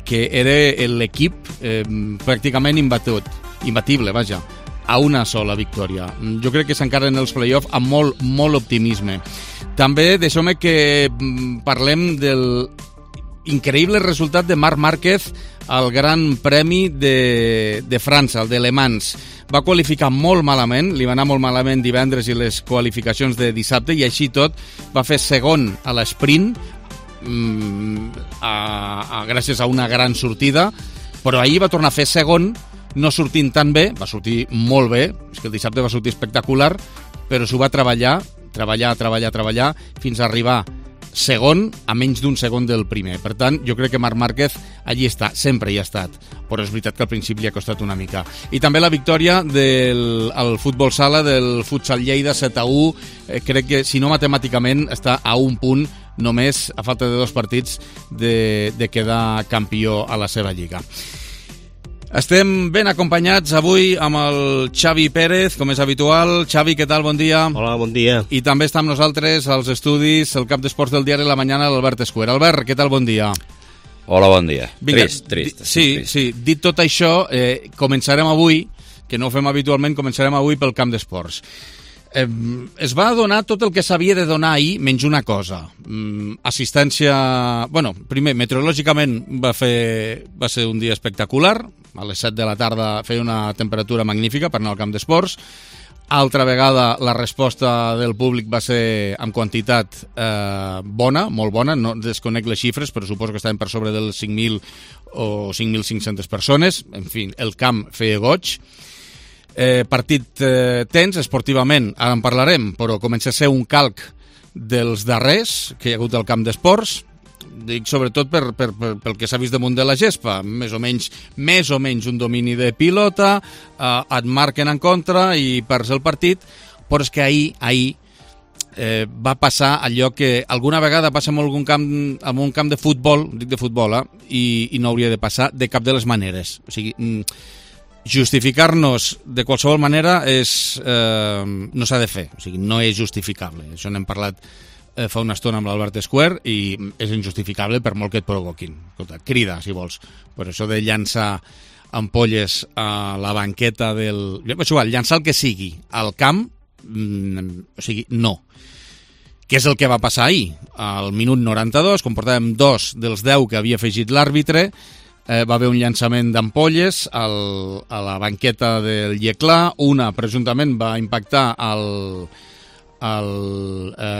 que era l'equip pràcticament imbatible, vaja, a una sola victòria. Jo crec que s'encara en els play-off amb molt optimisme. També deixeu-me que parlem del increïble resultat de Marc Márquez al Gran Premi de França, el de Le Mans. Va qualificar molt malament, li va anar molt malament divendres i les qualificacions de dissabte, i així tot va fer segon a l'esprint, gràcies a una gran sortida, però ahir va tornar a fer segon, no sortint tan bé, va sortir molt bé, és que el dissabte va sortir espectacular, però s'ho va treballar, fins a arribar segon a menys d'un segon del primer. Per tant, jo crec que Marc Márquez allí està, sempre hi ha estat, però és veritat que al principi ha costat una mica. I també la victòria del futbol sala, del Futsal Lleida 7-1, crec que, si no matemàticament, està a un punt només, a falta de 2 partits, de quedar campió a la seva lliga. Estem ben acompanyats avui amb el Xavi Pérez, com és habitual. Xavi, què tal? Bon dia. Hola, bon dia. I també està amb nosaltres als estudis el cap d'esports del diari La Mañana, l'Albert Escuer. Albert, què tal? Bon dia. Hola, bon dia. Vinga, Trist. Sí. Dit tot això, començarem avui, que no ho fem habitualment, començarem avui pel camp d'esports. Es va donar tot el que s'havia de donar ahir, menys una cosa. Assistència... Bueno, primer, meteorològicament va ser un dia espectacular. A les 7 de la tarda feia una temperatura magnífica per anar al camp d'esports. Altra vegada la resposta del públic va ser amb quantitat bona, molt bona. No desconec les xifres, però suposo que estaven per sobre dels 5.000 o 5.500 persones. En fi, el camp feia goig. Partit tens, esportivament, ara en parlarem, però comença a ser un calc dels darrers que hi ha hagut al camp d'esports. Dic sobretot pel que s'ha vist damunt de la gespa, més o menys un domini de pilota, et marquen en contra i perds el partit, però és que ahir va passar allò que alguna vegada passa en un camp de futbol, dic de futbol, i no hauria de passar de cap de les maneres. O sigui, justificar-nos de qualsevol manera no s'ha de fer, o sigui, no és justificable. Això n'hem parlat fa una estona amb l'Albert Escuer i és injustificable per molt que et provoquin. Escolta, crida, si vols. Però això de llançar ampolles a la banqueta del... És igual, llançar el que sigui al camp, o sigui, no. Què és el que va passar ahir? Al minut 92, quan portàvem 2 dels 10 que havia afegit l'àrbitre, va haver un llançament d'ampolles a la banqueta del Lleclà. Una, presumptament, va impactar el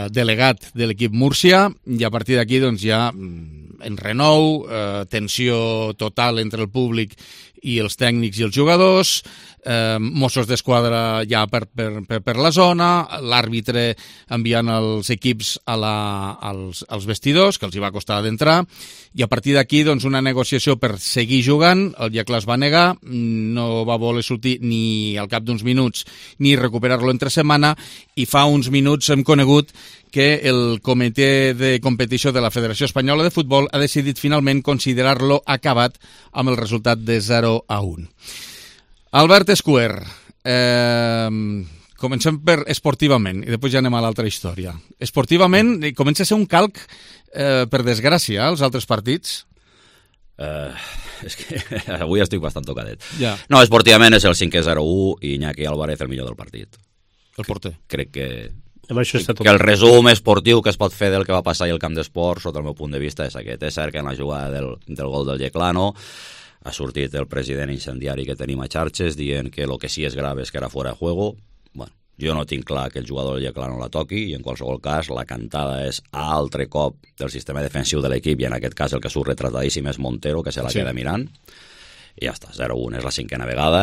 delegat de l'equip Múrcia, i a partir d'aquí doncs, ja enrenou, tensió total entre el públic i els tècnics i els jugadors, Mossos d'Esquadra ja per la zona, l'àrbitre enviant els equips als vestidors, que els hi va costar d'entrar, i a partir d'aquí doncs, una negociació per seguir jugant. El Lleclà es va negar, no va voler sortir ni al cap d'uns minuts ni recuperar-lo entre setmana, i fa uns minuts hem conegut que el comitè de competició de la Federació Espanyola de Futbol ha decidit finalment considerar-lo acabat amb el resultat de 0-1. Albert Escuer, comencem per esportivament i després ja anem a l'altra història. Esportivament comença a ser un calc, per desgràcia, els altres partits? És que avui estic bastant tocadet. Ja. No, esportivament és el 5-0-1 i Iñaki Álvarez el millor del partit. El porter. Crec que que el resum esportiu que es pot fer del que va passar ahir al camp d'esports, sota el meu punt de vista, és aquest. És cert que en la jugada del gol del Yeclano ha sortit el president incendiari que tenim a xarxes dient que el que sí és grave és que era fora de juego. Bueno, jo no tinc clar que el jugador del Yeclano la toqui, i en qualsevol cas la cantada és altre cop del sistema defensiu de l'equip, i en aquest cas el que surt retratadíssim és Montero, que se la queda mirant. I ja està, 0-1 és la 5a vegada.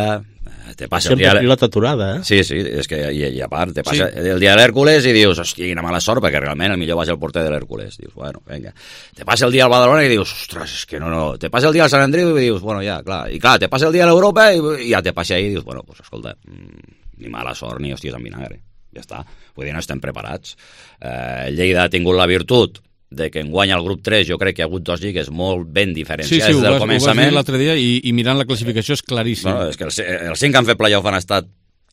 Te passa sempre el pilota aturada, Sí, és que, i a part, te passa el dia de l'Hèrcules i dius, hòstia, quina mala sort, perquè realment el millor va ser el porter de l'Hèrcules. Dius, bueno, vinga. Te passa el dia al Badalona i dius, ostres, és que no. Te passa el dia al Sant Andreu i dius, bueno, ja, clar. I clar, te passa el dia a l'Europa i ja te passa ahir i dius, bueno, pues escolta, ni mala sort ni hòsties en vinagre. Ja està. Vull dir, no estem preparats. Lleida ha tingut la virtut de que enguany al grup 3 jo crec que hi ha hagut 2 lligues molt ben diferenciades sí, del començament. Ho vas dir l'altre dia i mirant la classificació és claríssim. No, és que els 5 que han fet playoff han estat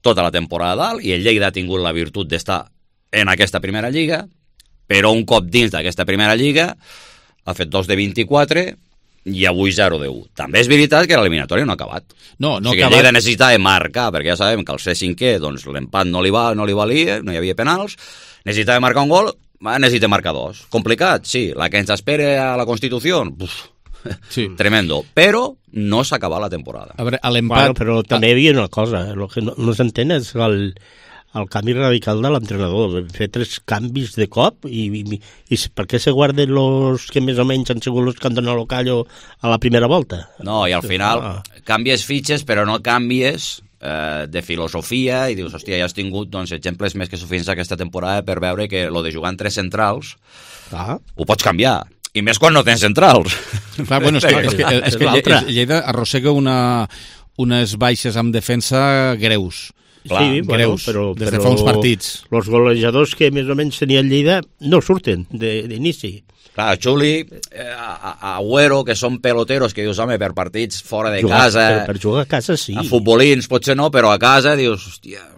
tota la temporada dalt i el Lleida ha tingut la virtut d'estar en aquesta primera lliga, però un cop dins d'aquesta primera lliga ha fet 2 de 24 i avui 0 de 1. També és veritat que l'eliminatòria no ha acabat. No o sigui, el Lleida necessitava marcar, perquè ja sabem que al ser cinquè doncs, l'empat no li valia, no hi havia penals, necessitava marcar un gol, necessita marcar 2. Complicat? Sí. La que ens espera a la Constitució? Sí. Tremendo. Però no s'ha acabat la temporada. A veure, a l'empat... Bueno, però també hi havia una cosa, el que no s'entén és el canvi radical de l'entrenador, fer 3 canvis de cop i per què se guarden els que més o menys han sigut els que han donat el callo a la primera volta? No, i al final canvies fitxes però no canvies de filosofia i dius, hòstia, ja has tingut exemples més que suficients aquesta temporada per veure que lo de jugar en 3 centrals ho pots canviar. I més quan no tens centrals. Clar, bueno, és que Lleida arrossega unes baixes amb defensa greus. Clar, sí, greus, però des de fa uns partits. Els golejadors que més o menys tenia el Lleida no surten d'inici. Clar, Xuli, Agüero, que són peloteros, que dius, home, per partits fora de casa... Per jugar a casa, sí. A futbolins, potser no, però a casa dius, hòstia...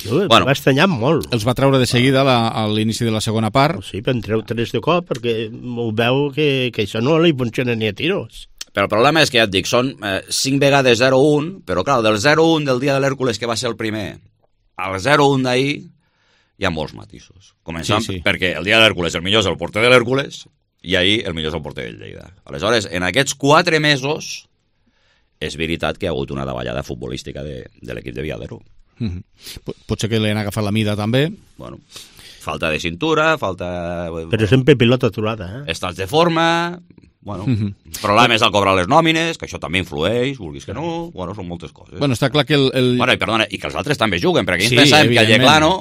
Va estranyar molt. Els va treure de seguida a l'inici de la segona part. Sí, però en treu 3 de cop, perquè ho veu que això no li funciona ni a tiros. Però el problema és que, ja et dic, són 5 vegades 0-1, però clar, del 0-1 del dia de l'Hèrcules, que va ser el primer, al 0-1 d'ahir, hi ha molts matisos. Començant perquè el dia de l'Hèrcules el millor és el porter de l'Hèrcules i ahir el millor és el porter del Lleida. Aleshores, en aquests 4 mesos, és veritat que hi ha hagut una davallada futbolística de l'equip de Viadero. Potser que li han agafat la mida, també. Bueno, falta de cintura, falta... Però sempre pilota aturada, Estàs de forma... Bueno, el problema és el cobrar les nòmines, que això també influeix, vulguis que no, bueno, són moltes coses. Bueno, està clar que Bueno, i perdona, i que els altres també juguen, perquè ells pensàvem que el Lleclano,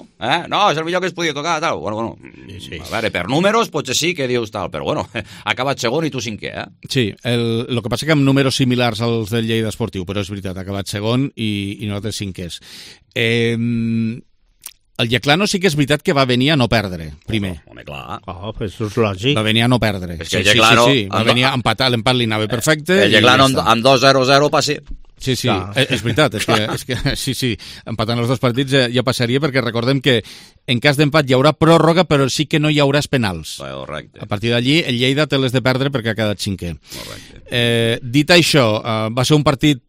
no, és el millor que es podia tocar, tal. Bueno, a veure, per números potser sí que dius tal, però bueno, ha acabat segon i tu 5è, Sí, el que passa que amb números similars als del Lleida Esportiu, però és veritat, ha acabat segon i nosaltres 5è. El Lleclano sí que és veritat que va venir a no perdre, primer. Home, clar. Pues això és lògic. Va venir a no perdre. És que el Lleclano... Sí. Va venir a empatar, l'empat li anava perfecte. El Lleclano amb 2-0-0 passi. Sí, és veritat, és que sí, empatant els 2 partits ja passaria, perquè recordem que en cas d'empat hi haurà pròrroga, però sí que no hi haurà penals. Correcte. A partir d'allí, el Lleida té les de perdre perquè ha quedat 5è. Dit això, va ser un partit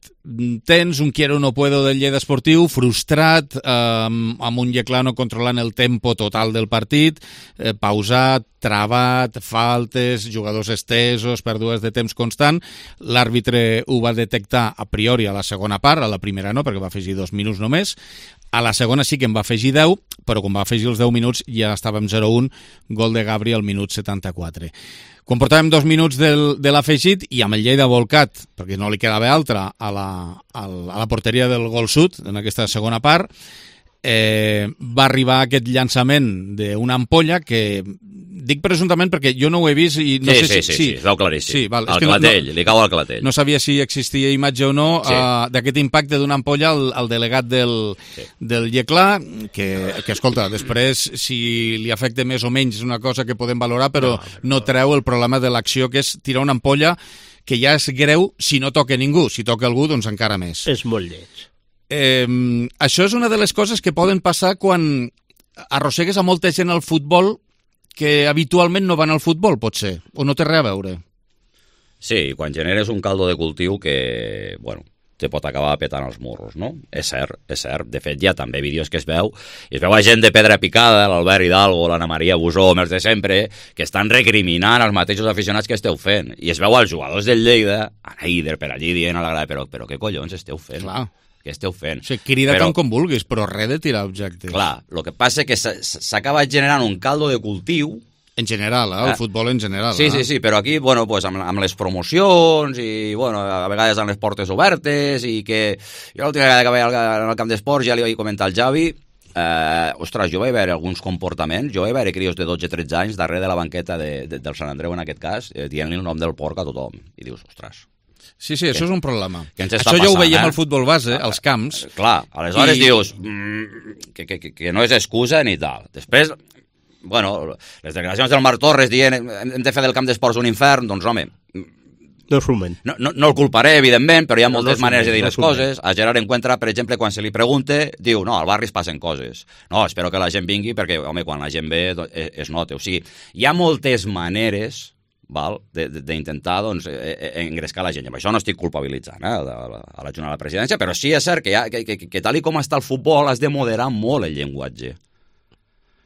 tens, un quiero no puedo del Lleida Esportiu, frustrat, amb un Lleclano controlant el tempo total del partit, pausat, travat, faltes, jugadors estesos, pèrdues de temps constant. L'àrbitre ho va detectar a priori a la segona part, a la primera no, perquè va afegir 2 minuts només. A la segona sí que en va afegir 10, però quan va afegir els 10 minuts ja estàvem 0-1, gol de Gabri al minut 74. Quan portàvem 2 minuts de l'afegit i amb el Lleida volcat, perquè no li quedava altra, a la porteria del gol sud, en aquesta segona part, va arribar aquest llançament d'una ampolla que, dic presumptament perquè jo no ho he vist i no sé si... Sí, es veu claríssim. Sí, val, al clatell, li cau al clatell. No sabia si existia imatge o no d'aquest impacte d'una ampolla al delegat del Lleclà, que escolta, després si li afecta més o menys és una cosa que podem valorar, però no treu el problema de l'acció, que és tirar una ampolla que ja és greu si no toca ningú. Si toca algú, doncs encara més. És molt lleig. Això és una de les coses que poden passar quan arrossegues a molta gent al futbol que habitualment no van al futbol, potser, o no té res a veure. Sí, quan generes un caldo de cultiu que, bueno, te pot acabar petant els morros, no? És cert, és cert. De fet, hi ha també vídeos que es veu a gent de Pedra Picada, l'Albert Hidalgo, l'Anna Maria Busó, els de sempre, que estan recriminant els mateixos aficionats que esteu fent. I es veu als jugadors del Lleida, a Eider per allí dient a la grada, però què collons esteu fent? Clar. Què esteu fent? O sigui, crida tant com vulguis, però res de tirar objectes. Clar, el que passa és que s'acaba generant un caldo de cultiu. En general, el futbol en general. Sí, però aquí, bueno, pues, amb les promocions i, bueno, a vegades amb les portes obertes i que... Jo l'última vegada que vaig al camp d'esports ja li vaig comentar al Javi, ostres, jo vaig veure alguns comportaments, jo vaig veure crios de 12-13 anys darrere de la banqueta del Sant Andreu, en aquest cas, dient-li el nom del porc a tothom. I dius, ostres... Sí, això és un problema. Això ja ho veiem al futbol base, als camps. Clar, aleshores dius que no és excusa ni tal. Després, bueno, les declaracions del Marc Torres dient hem de fer del camp d'esports un infern, doncs home... No sumen. No el culparé, evidentment, però hi ha moltes maneres de dir les coses. A Gerard Encuentra, per exemple, quan se li pregunta, diu, no, al barri es passen coses. No, espero que la gent vingui perquè, home, quan la gent ve es nota. O sigui, hi ha moltes maneres d'intentar doncs, engrescar la gent. I amb això no estic culpabilitzant a la Junta de la Presidència, però sí és cert que tal com està el futbol has de moderar molt el llenguatge.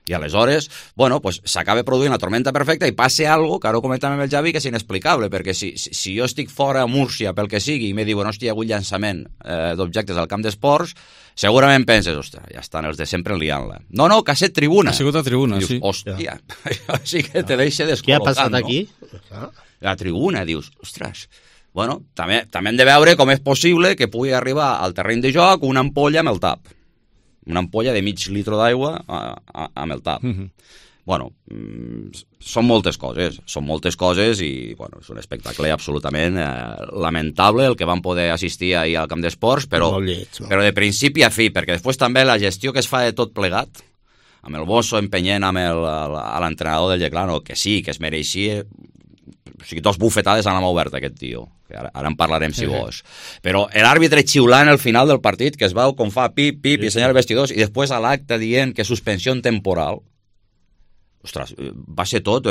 I aleshores, bueno, pues s'acaba produint la tormenta perfecta i passa algo, que ara ho comentàvem amb el Javi, que és inexplicable, perquè si jo estic fora a Múrcia pel que sigui i me diuen, hòstia, hi ha hagut llançament d'objectes al camp d'esports, segurament penses, ostres, ja estan els de sempre liant-la. No, que ha estat tribuna. Ha sigut a tribuna, dius, sí. Hòstia, això sí que te deixa descol·locant, què ha passat aquí? La tribuna, dius, ostres... Bueno, també hem de veure com és possible que pugui arribar al terreny de joc una ampolla amb el tap. Una ampolla de mig litre d'aigua amb el tap. Bueno, són moltes coses i bueno, és un espectacle absolutament lamentable el que van poder assistir ahir al camp d'esports, però de principi a fi, perquè després també la gestió que es fa de tot plegat, amb el Bosso empenyent amb l'entrenador del Yeclano, que sí, que es mereixia, o sigui, dos bufetades a la mà oberta aquest tio, que ara en parlarem si vols, però l'àrbitre xiulant al final del partit, que es veu com fa pip, pip, i senyala vestidors, i després a l'acte dient que suspensió temporal. Ostres, va ser tot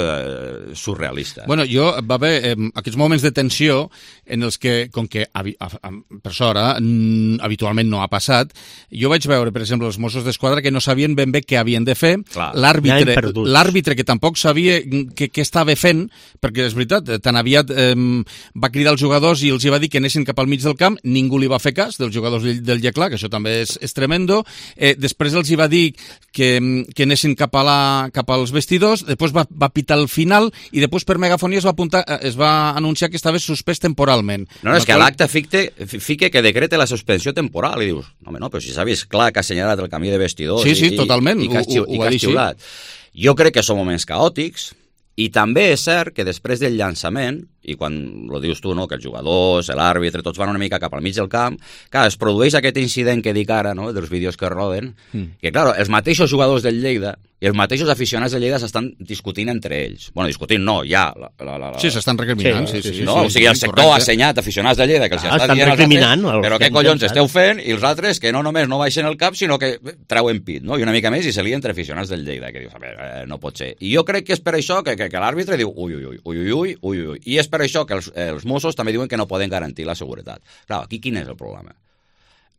surrealista. Bueno, va haver aquests moments de tensió en els que, com que per sort habitualment no ha passat, jo vaig veure, per exemple, els Mossos d'Esquadra que no sabien ben bé què havien de fer, l'àrbitre que tampoc sabia què estava fent, perquè és veritat, tan aviat va cridar els jugadors i els va dir que anessin cap al mig del camp, ningú li va fer cas, dels jugadors del Yeclà, que això també és tremendo, després els va dir que anessin cap als vestidors, després va pitar al final i després per megafonia es va anunciar que estava suspès temporalment. No, és que a l'acte fique que decrete la suspensió temporal i dius, no, però si s'ha vist clar que ha assenyalat el camí de vestidors sí, totalment, i que ha xiulat. Jo crec que són moments caòtics i també és cert que després del llançament, i quan ho dius tu, no, que els jugadors, l'àrbitre, tots van una mica cap al mig del camp, clar, es produeix aquest incident que dic ara, no, dels vídeos que roden, que, clar, els mateixos jugadors del Lleida i els mateixos aficionats de Lleida s'estan discutint entre ells. Bueno, discutint no, ja... Sí, s'estan recriminant. Sí. No, o sigui, el sector ha assenyat aficionats de Lleida que els està dient als altres, però què collons esteu fent? I els altres que no només no baixen el cap, sinó que treuen pit, no? I una mica més i se lien entre aficionats del Lleida, que dius, a veure, no pot ser. I jo crec que és per això que l'àrbitre diu ui. I és per això que els Mossos també diuen que no poden garantir la seguretat. Clar, aquí quin és el problema?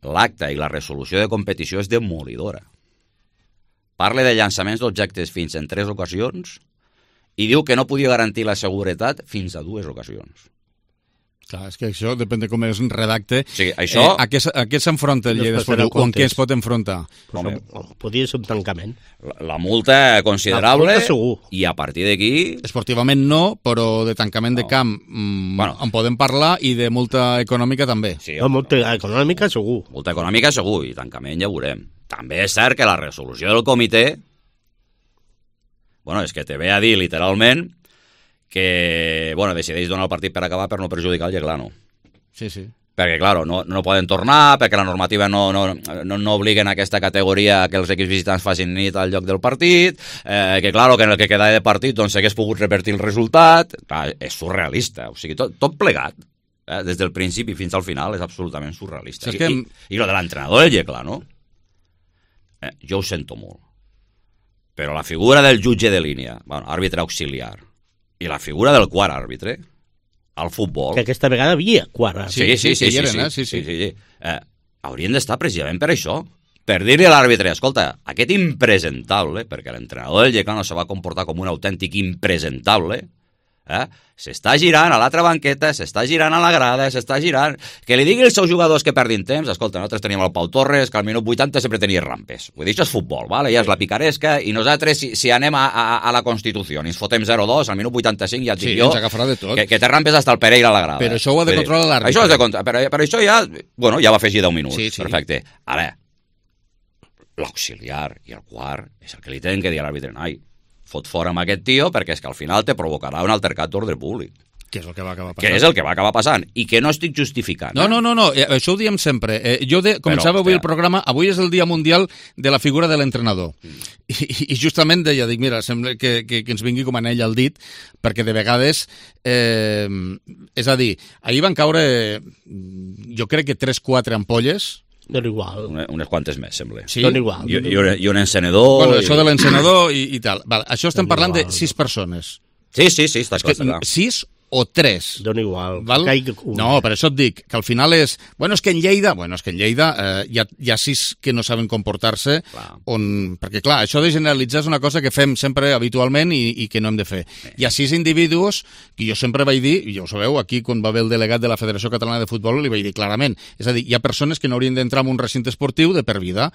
L'acte i la resolució de competició és demolidora. Parla de llançaments d'objectes fins en 3 ocasions i diu que no podia garantir la seguretat fins a 2 ocasions. Clar, és que això depèn de com es redacte. O sigui, això... A què s'enfronta el Lleida Esportiu o en què es pot enfrontar? Podria ser un tancament. La multa considerable i a partir d'aquí... Esportivament no, però de tancament de camp en podem parlar i de multa econòmica també. Sí, multa econòmica segur. Multa econòmica segur i tancament ja veurem. També és cert que la resolució del comitè és que te ve a dir literalment que decideix donar el partit per acabar per no perjudicar el Yeclano. Sí. Perquè, clar, no poden tornar, perquè la normativa no obliguen a aquesta categoria que els equips visitants facin nit al lloc del partit, que, clar, que en el que queda de partit s'hagués pogut revertir el resultat. Clar, és surrealista. O sigui, tot plegat, des del principi fins al final, és absolutament surrealista. I lo de l'entrenador del Yeclano, jo ho sento molt. Però la figura del jutge de línia, àrbitre auxiliar, i la figura del quart àrbitre al futbol... Que aquesta vegada havia quart àrbitre. Sí. Haurien d'estar precisament per això. Per dir-li a l'àrbitre, escolta, aquest impresentable, perquè l'entrenador del Yeclano se va comportar com un autèntic impresentable, s'està girant a l'altra banqueta, s'està girant a la grada, s'està girant... Que li digui als seus jugadors que perdin temps, escolta, nosaltres teníem el Pau Torres, que al minut 80 sempre tenia rampes. Vull dir, això és futbol, vale? Ja és la picaresca, i nosaltres, si anem a la Constitució i ens fotem 0-2, al minut 85 ja et dic jo que té rampes hasta el Pereira a la grada. Però això ho ha de controlar l'àrbitre. Això és de controlar, però això ja va afegir 10 minuts. Sí. Perfecte. Ara, l'auxiliar i el quart és el que li tenen que dir a l'àrbitre. Ai, fot fora amb aquest tio perquè és que al final te provocarà un altercat d'ordre públic. Que és el que va acabar passant. Que és el que va acabar passant, i que no estic justificant. No, això ho diem sempre. Començava avui el programa, avui és el Dia Mundial de la figura de l'entrenador. I justament deia, mira, sembla que ens vingui com anell al dit, perquè de vegades, és a dir, ahir van caure, jo crec que 3-4 ampolles. Dona igual. Unes quantes més, sembla. Sí? Dona igual. I un encenedor... Bueno, això de l'encenedor i tal. Vale, això estem parlant de 6 persones. Sí, està clar. 6 o 3. Dona igual. Val? No, per això et dic, que al final és... Bueno, és que en Lleida hi ha 6 que no saben comportar-se, perquè, clar, això de generalitzar és una cosa que fem sempre habitualment i que no hem de fer. Hi ha 6 individus que jo sempre vaig dir, i ja ho sabeu, aquí quan va haver el delegat de la Federació Catalana de Futbol li vaig dir clarament, és a dir, hi ha persones que no haurien d'entrar en un recinte esportiu de per vida.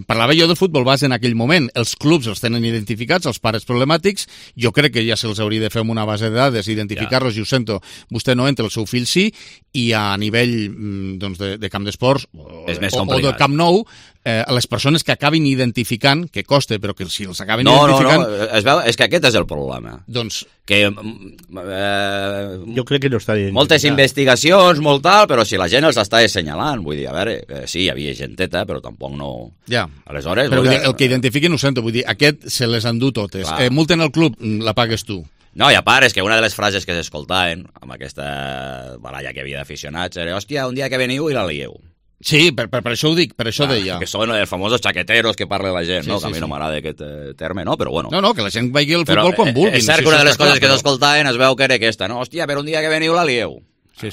Parlava jo del futbol base en aquell moment, els clubs els tenen identificats, els pares problemàtics, jo crec que ja se'ls hauria de fer amb una base de dades, identificar-los, i ho sento, vostè no entra, el seu fill sí, i a nivell de camp d'esports o de Camp Nou, les persones que acabin identificant, que costa, però que si els acaben identificant... No, es veu, és que aquest és el problema. Doncs... Que, jo crec que no està identificat. Moltes investigacions, molt tal, però si la gent els està assenyalant, vull dir, a veure, sí, hi havia genteta, però tampoc no... Ja. Aleshores... Però el que identifiquen ho sento, vull dir, aquest se les endú totes. Multen el club, la pagues tu. No, i a part, és que una de les frases que s'escoltaven amb aquesta baralla que havia d'aficionats era, hòstia, un dia que veniu i la lieu. Sí, per això ho dic, per això deia. Que són els famosos xaqueteros que parla la gent, no? Que a mi no m'agrada aquest terme, no? Però bueno. No, que la gent vegi el futbol quan vulguin. És cert que una de les coses que s'escoltaven es veu que era aquesta, no? Hòstia, però un dia que veniu la lieu. Sí.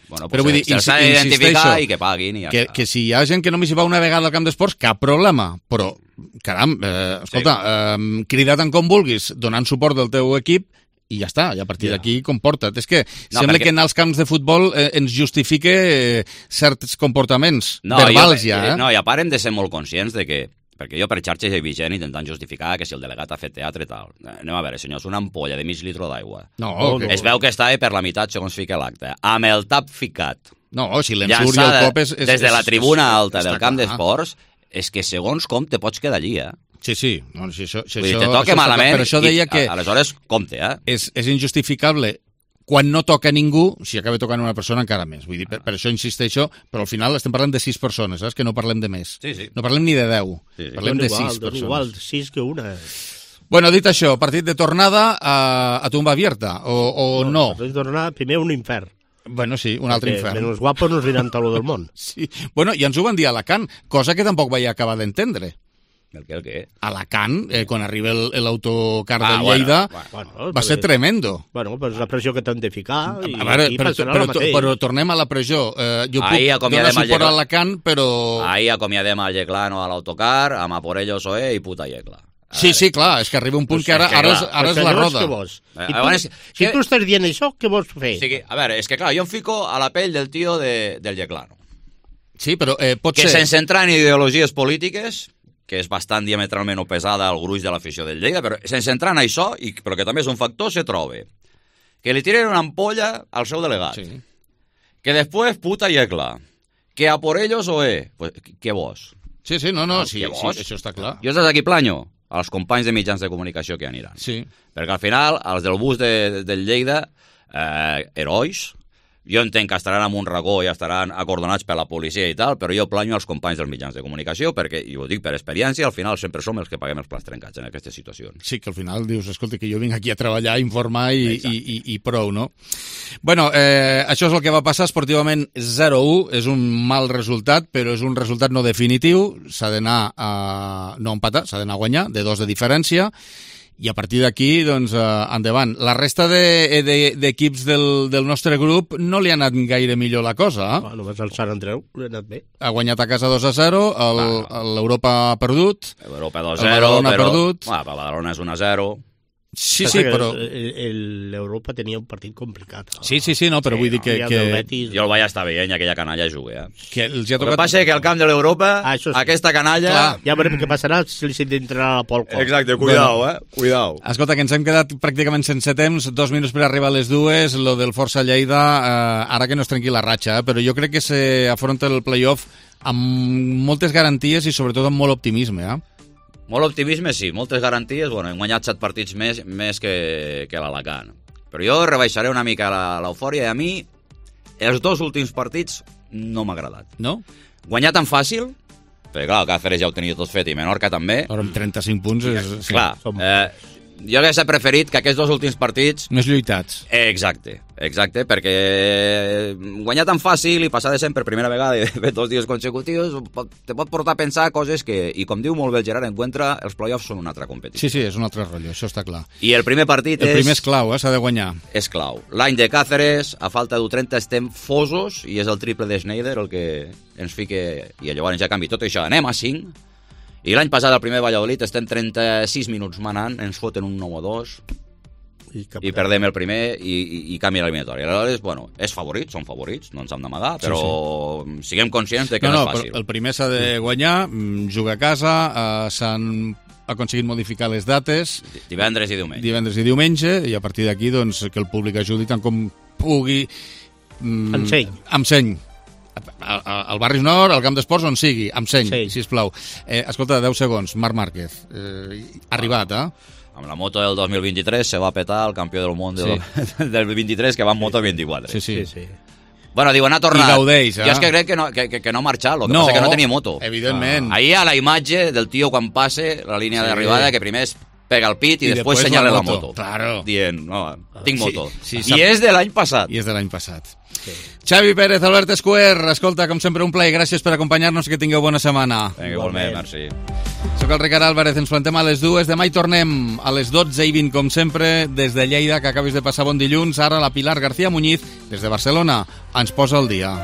Bueno, però vull dir, se'ls ha d'identificar i que paguin. Que si hi ha gent que només hi va una vegada al camp d'esports, cap problema. Però, caram, escolta, crida't com vulguis, donant suport del teu equip, i ja està, i a partir d'aquí comporta't. És que sembla que anar als camps de futbol ens justifique certs comportaments verbals ja. No, i a part hem de ser molt conscients de que, perquè jo per xarxes he vist gent intentant justificar que si el delegat ha fet teatre i tal. Anem a veure, senyors, una ampolla de mig litre d'aigua. Es veu que estava per la meitat segons fica l'acte. Amb el tap ficat. No, si l'ensurt i el cop és... Des de la tribuna alta del camp d'esports, és que segons com te pots quedar allí, Sí. No, si això, te toca malament, per això deia que aleshores compte, És injustificable quan no toca ningú, si acaba tocant una persona encara més. Vull dir, per això insisteixo, però al final estem parlant de 6 persones, saps? Que no parlem de més. Sí. No parlem ni de 10, parlem de 6 persones. Igual, 6 que una. Bueno, dit això, partit de tornada a tumba abierta, o no? Partit de tornada, primer un infern. Bueno, sí, un altre infern. Menos guapos nos dirán taló del món. Sí, bueno, i ens ho van dir a Alacant, cosa que tampoc vaig acabar d'entendre. El què? Alacant, quan arriba l'autocar de Lleida, va ser tremendo. Bueno, però és la pressió que t'han de ficar i però tornem a la pressió. Jo puc donar suport a Alacant, però... Ahir acomiadem a Yeclano a l'autocar, amb Aporellos OE i puta Yecla. Sí, clar, és que arriba un punt que ara és la roda. Si tu estàs dient això, què vols fer? A veure, és que clar, jo em fico a la pell del tio del Yeclano. Sí, però pot ser... Que sense entrar en ideologies polítiques, que és bastant diametralment oposada al gruix de l'afició del Lleida, però sense entrar en això, però que també és un factor, se troba que li tiren una ampolla al seu delegat, que després puta Yecla, que a por ellos pues, què vos? Sí, això està clar. Jo des d'aquí planyo als companys de mitjans de comunicació que aniran. Sí. Perquè al final, els del bus del Lleida, herois, jo entenc que estaran en un racó i estaran acordonats per la policia i tal, però jo planyo als companys dels mitjans de comunicació perquè, i ho dic per experiència, al final sempre som els que paguem els plats trencats en aquestes situacions. Sí, que al final dius, escolta, que jo vinc aquí a treballar, a informar i prou, no? Bueno, això és el que va passar esportivament 0-1, és un mal resultat, però és un resultat no definitiu, s'ha d'anar a no empatar, s'ha d'anar a guanyar, de 2 de diferència, i a partir d'aquí, doncs, endavant. La resta d'equips del nostre grup no li ha anat gaire millor la cosa. Només el Sant Andreu li ha anat bé. Ha guanyat a casa 2-0, l'Europa ha perdut. L'Europa 2-0, però... Badalona és 1-0. Sí, però... L'Europa tenia un partit complicat. Sí, no, però vull dir que... Jo el vaig estar veient, aquella canalla juga. Que els ha tocat... El que passa és que al camp de l'Europa, aquesta canalla... Ja veurem què passarà si li s'entrarà a la polca. Exacte, cuidao, cuidao. Escolta, que ens hem quedat pràcticament sense temps, 2 minuts per arribar a les 2, lo del Força Lleida, ara que no es trenqui la ratxa, però jo crec que s'afronta el play-off amb moltes garanties i sobretot amb molt optimisme, Molt optimisme, sí. Moltes garanties. Bueno, hem guanyat 7 partits més que l'Alacant. Però jo rebaixaré una mica l'eufòria i a mi els 2 últims partits no m'ha agradat. No? Guanyar tan fàcil, perquè clar, el Cáceres ja ho tenia tot fet i Menorca també. Però amb 35 punts és... Clar, jo hauria preferit que aquests 2 últims partits... Més lluitats. Exacte, perquè guanyar tan fàcil i passar de sempre per primera vegada i fer 2 dies consecutius te pot portar a pensar coses que, i com diu molt bé el Gerard Encuentra, els play-offs són una altra competició. Sí, és un altre rotllo, això està clar. I el primer partit El primer és clau, s'ha de guanyar. És clau. L'any de Cáceres, a falta d'30 estem fosos i és el triple de Schneider el que ens fica... I llavors ja canvi tot això, anem a 5... I l'any passat, al primer Valladolid, estem 36 minuts manant, ens foten un 9-2 i perdem el primer i canvia l'eliminatòria. Aleshores, bueno, són favorits, no ens hem d'amagar, però siguem conscients de que no és fàcil. El primer s'ha de guanyar, jugar a casa, s'han aconseguit modificar les dates. Divendres i diumenge, i a partir d'aquí, doncs, que el públic ajudi tant com pugui. Amb seny. Al barri nord, al camp d'esports, on sigui, amb seny, sisplau. Escolta, 10 segons, Marc Márquez, arribat, Amb la moto del 2023 se va petar el campió del món del 23 que va en moto 24. Sí. Bueno, diuen, ha tornat. I gaudeix, Jo és que crec que no ha marxat, el que passa que no tenia moto. Evidentment. Ahir hi ha la imatge del tio quan passe la línia d'arribada, que primer es pega el pit i després senyala la moto. Claro. Dient, no, tinc moto. I és de l'any passat. Xavi Pérez, Albert Escuer, escolta, com sempre un plaer, gràcies per acompanyar-nos, que tingueu bona setmana. Igualment, merci. Soc el Ricard Álvarez, ens plantem a les 2, demà hi tornem a les 12:20, com sempre, des de Lleida, que acabis de passar bon dilluns. Ara la Pilar García Muñiz, des de Barcelona, ens posa al dia.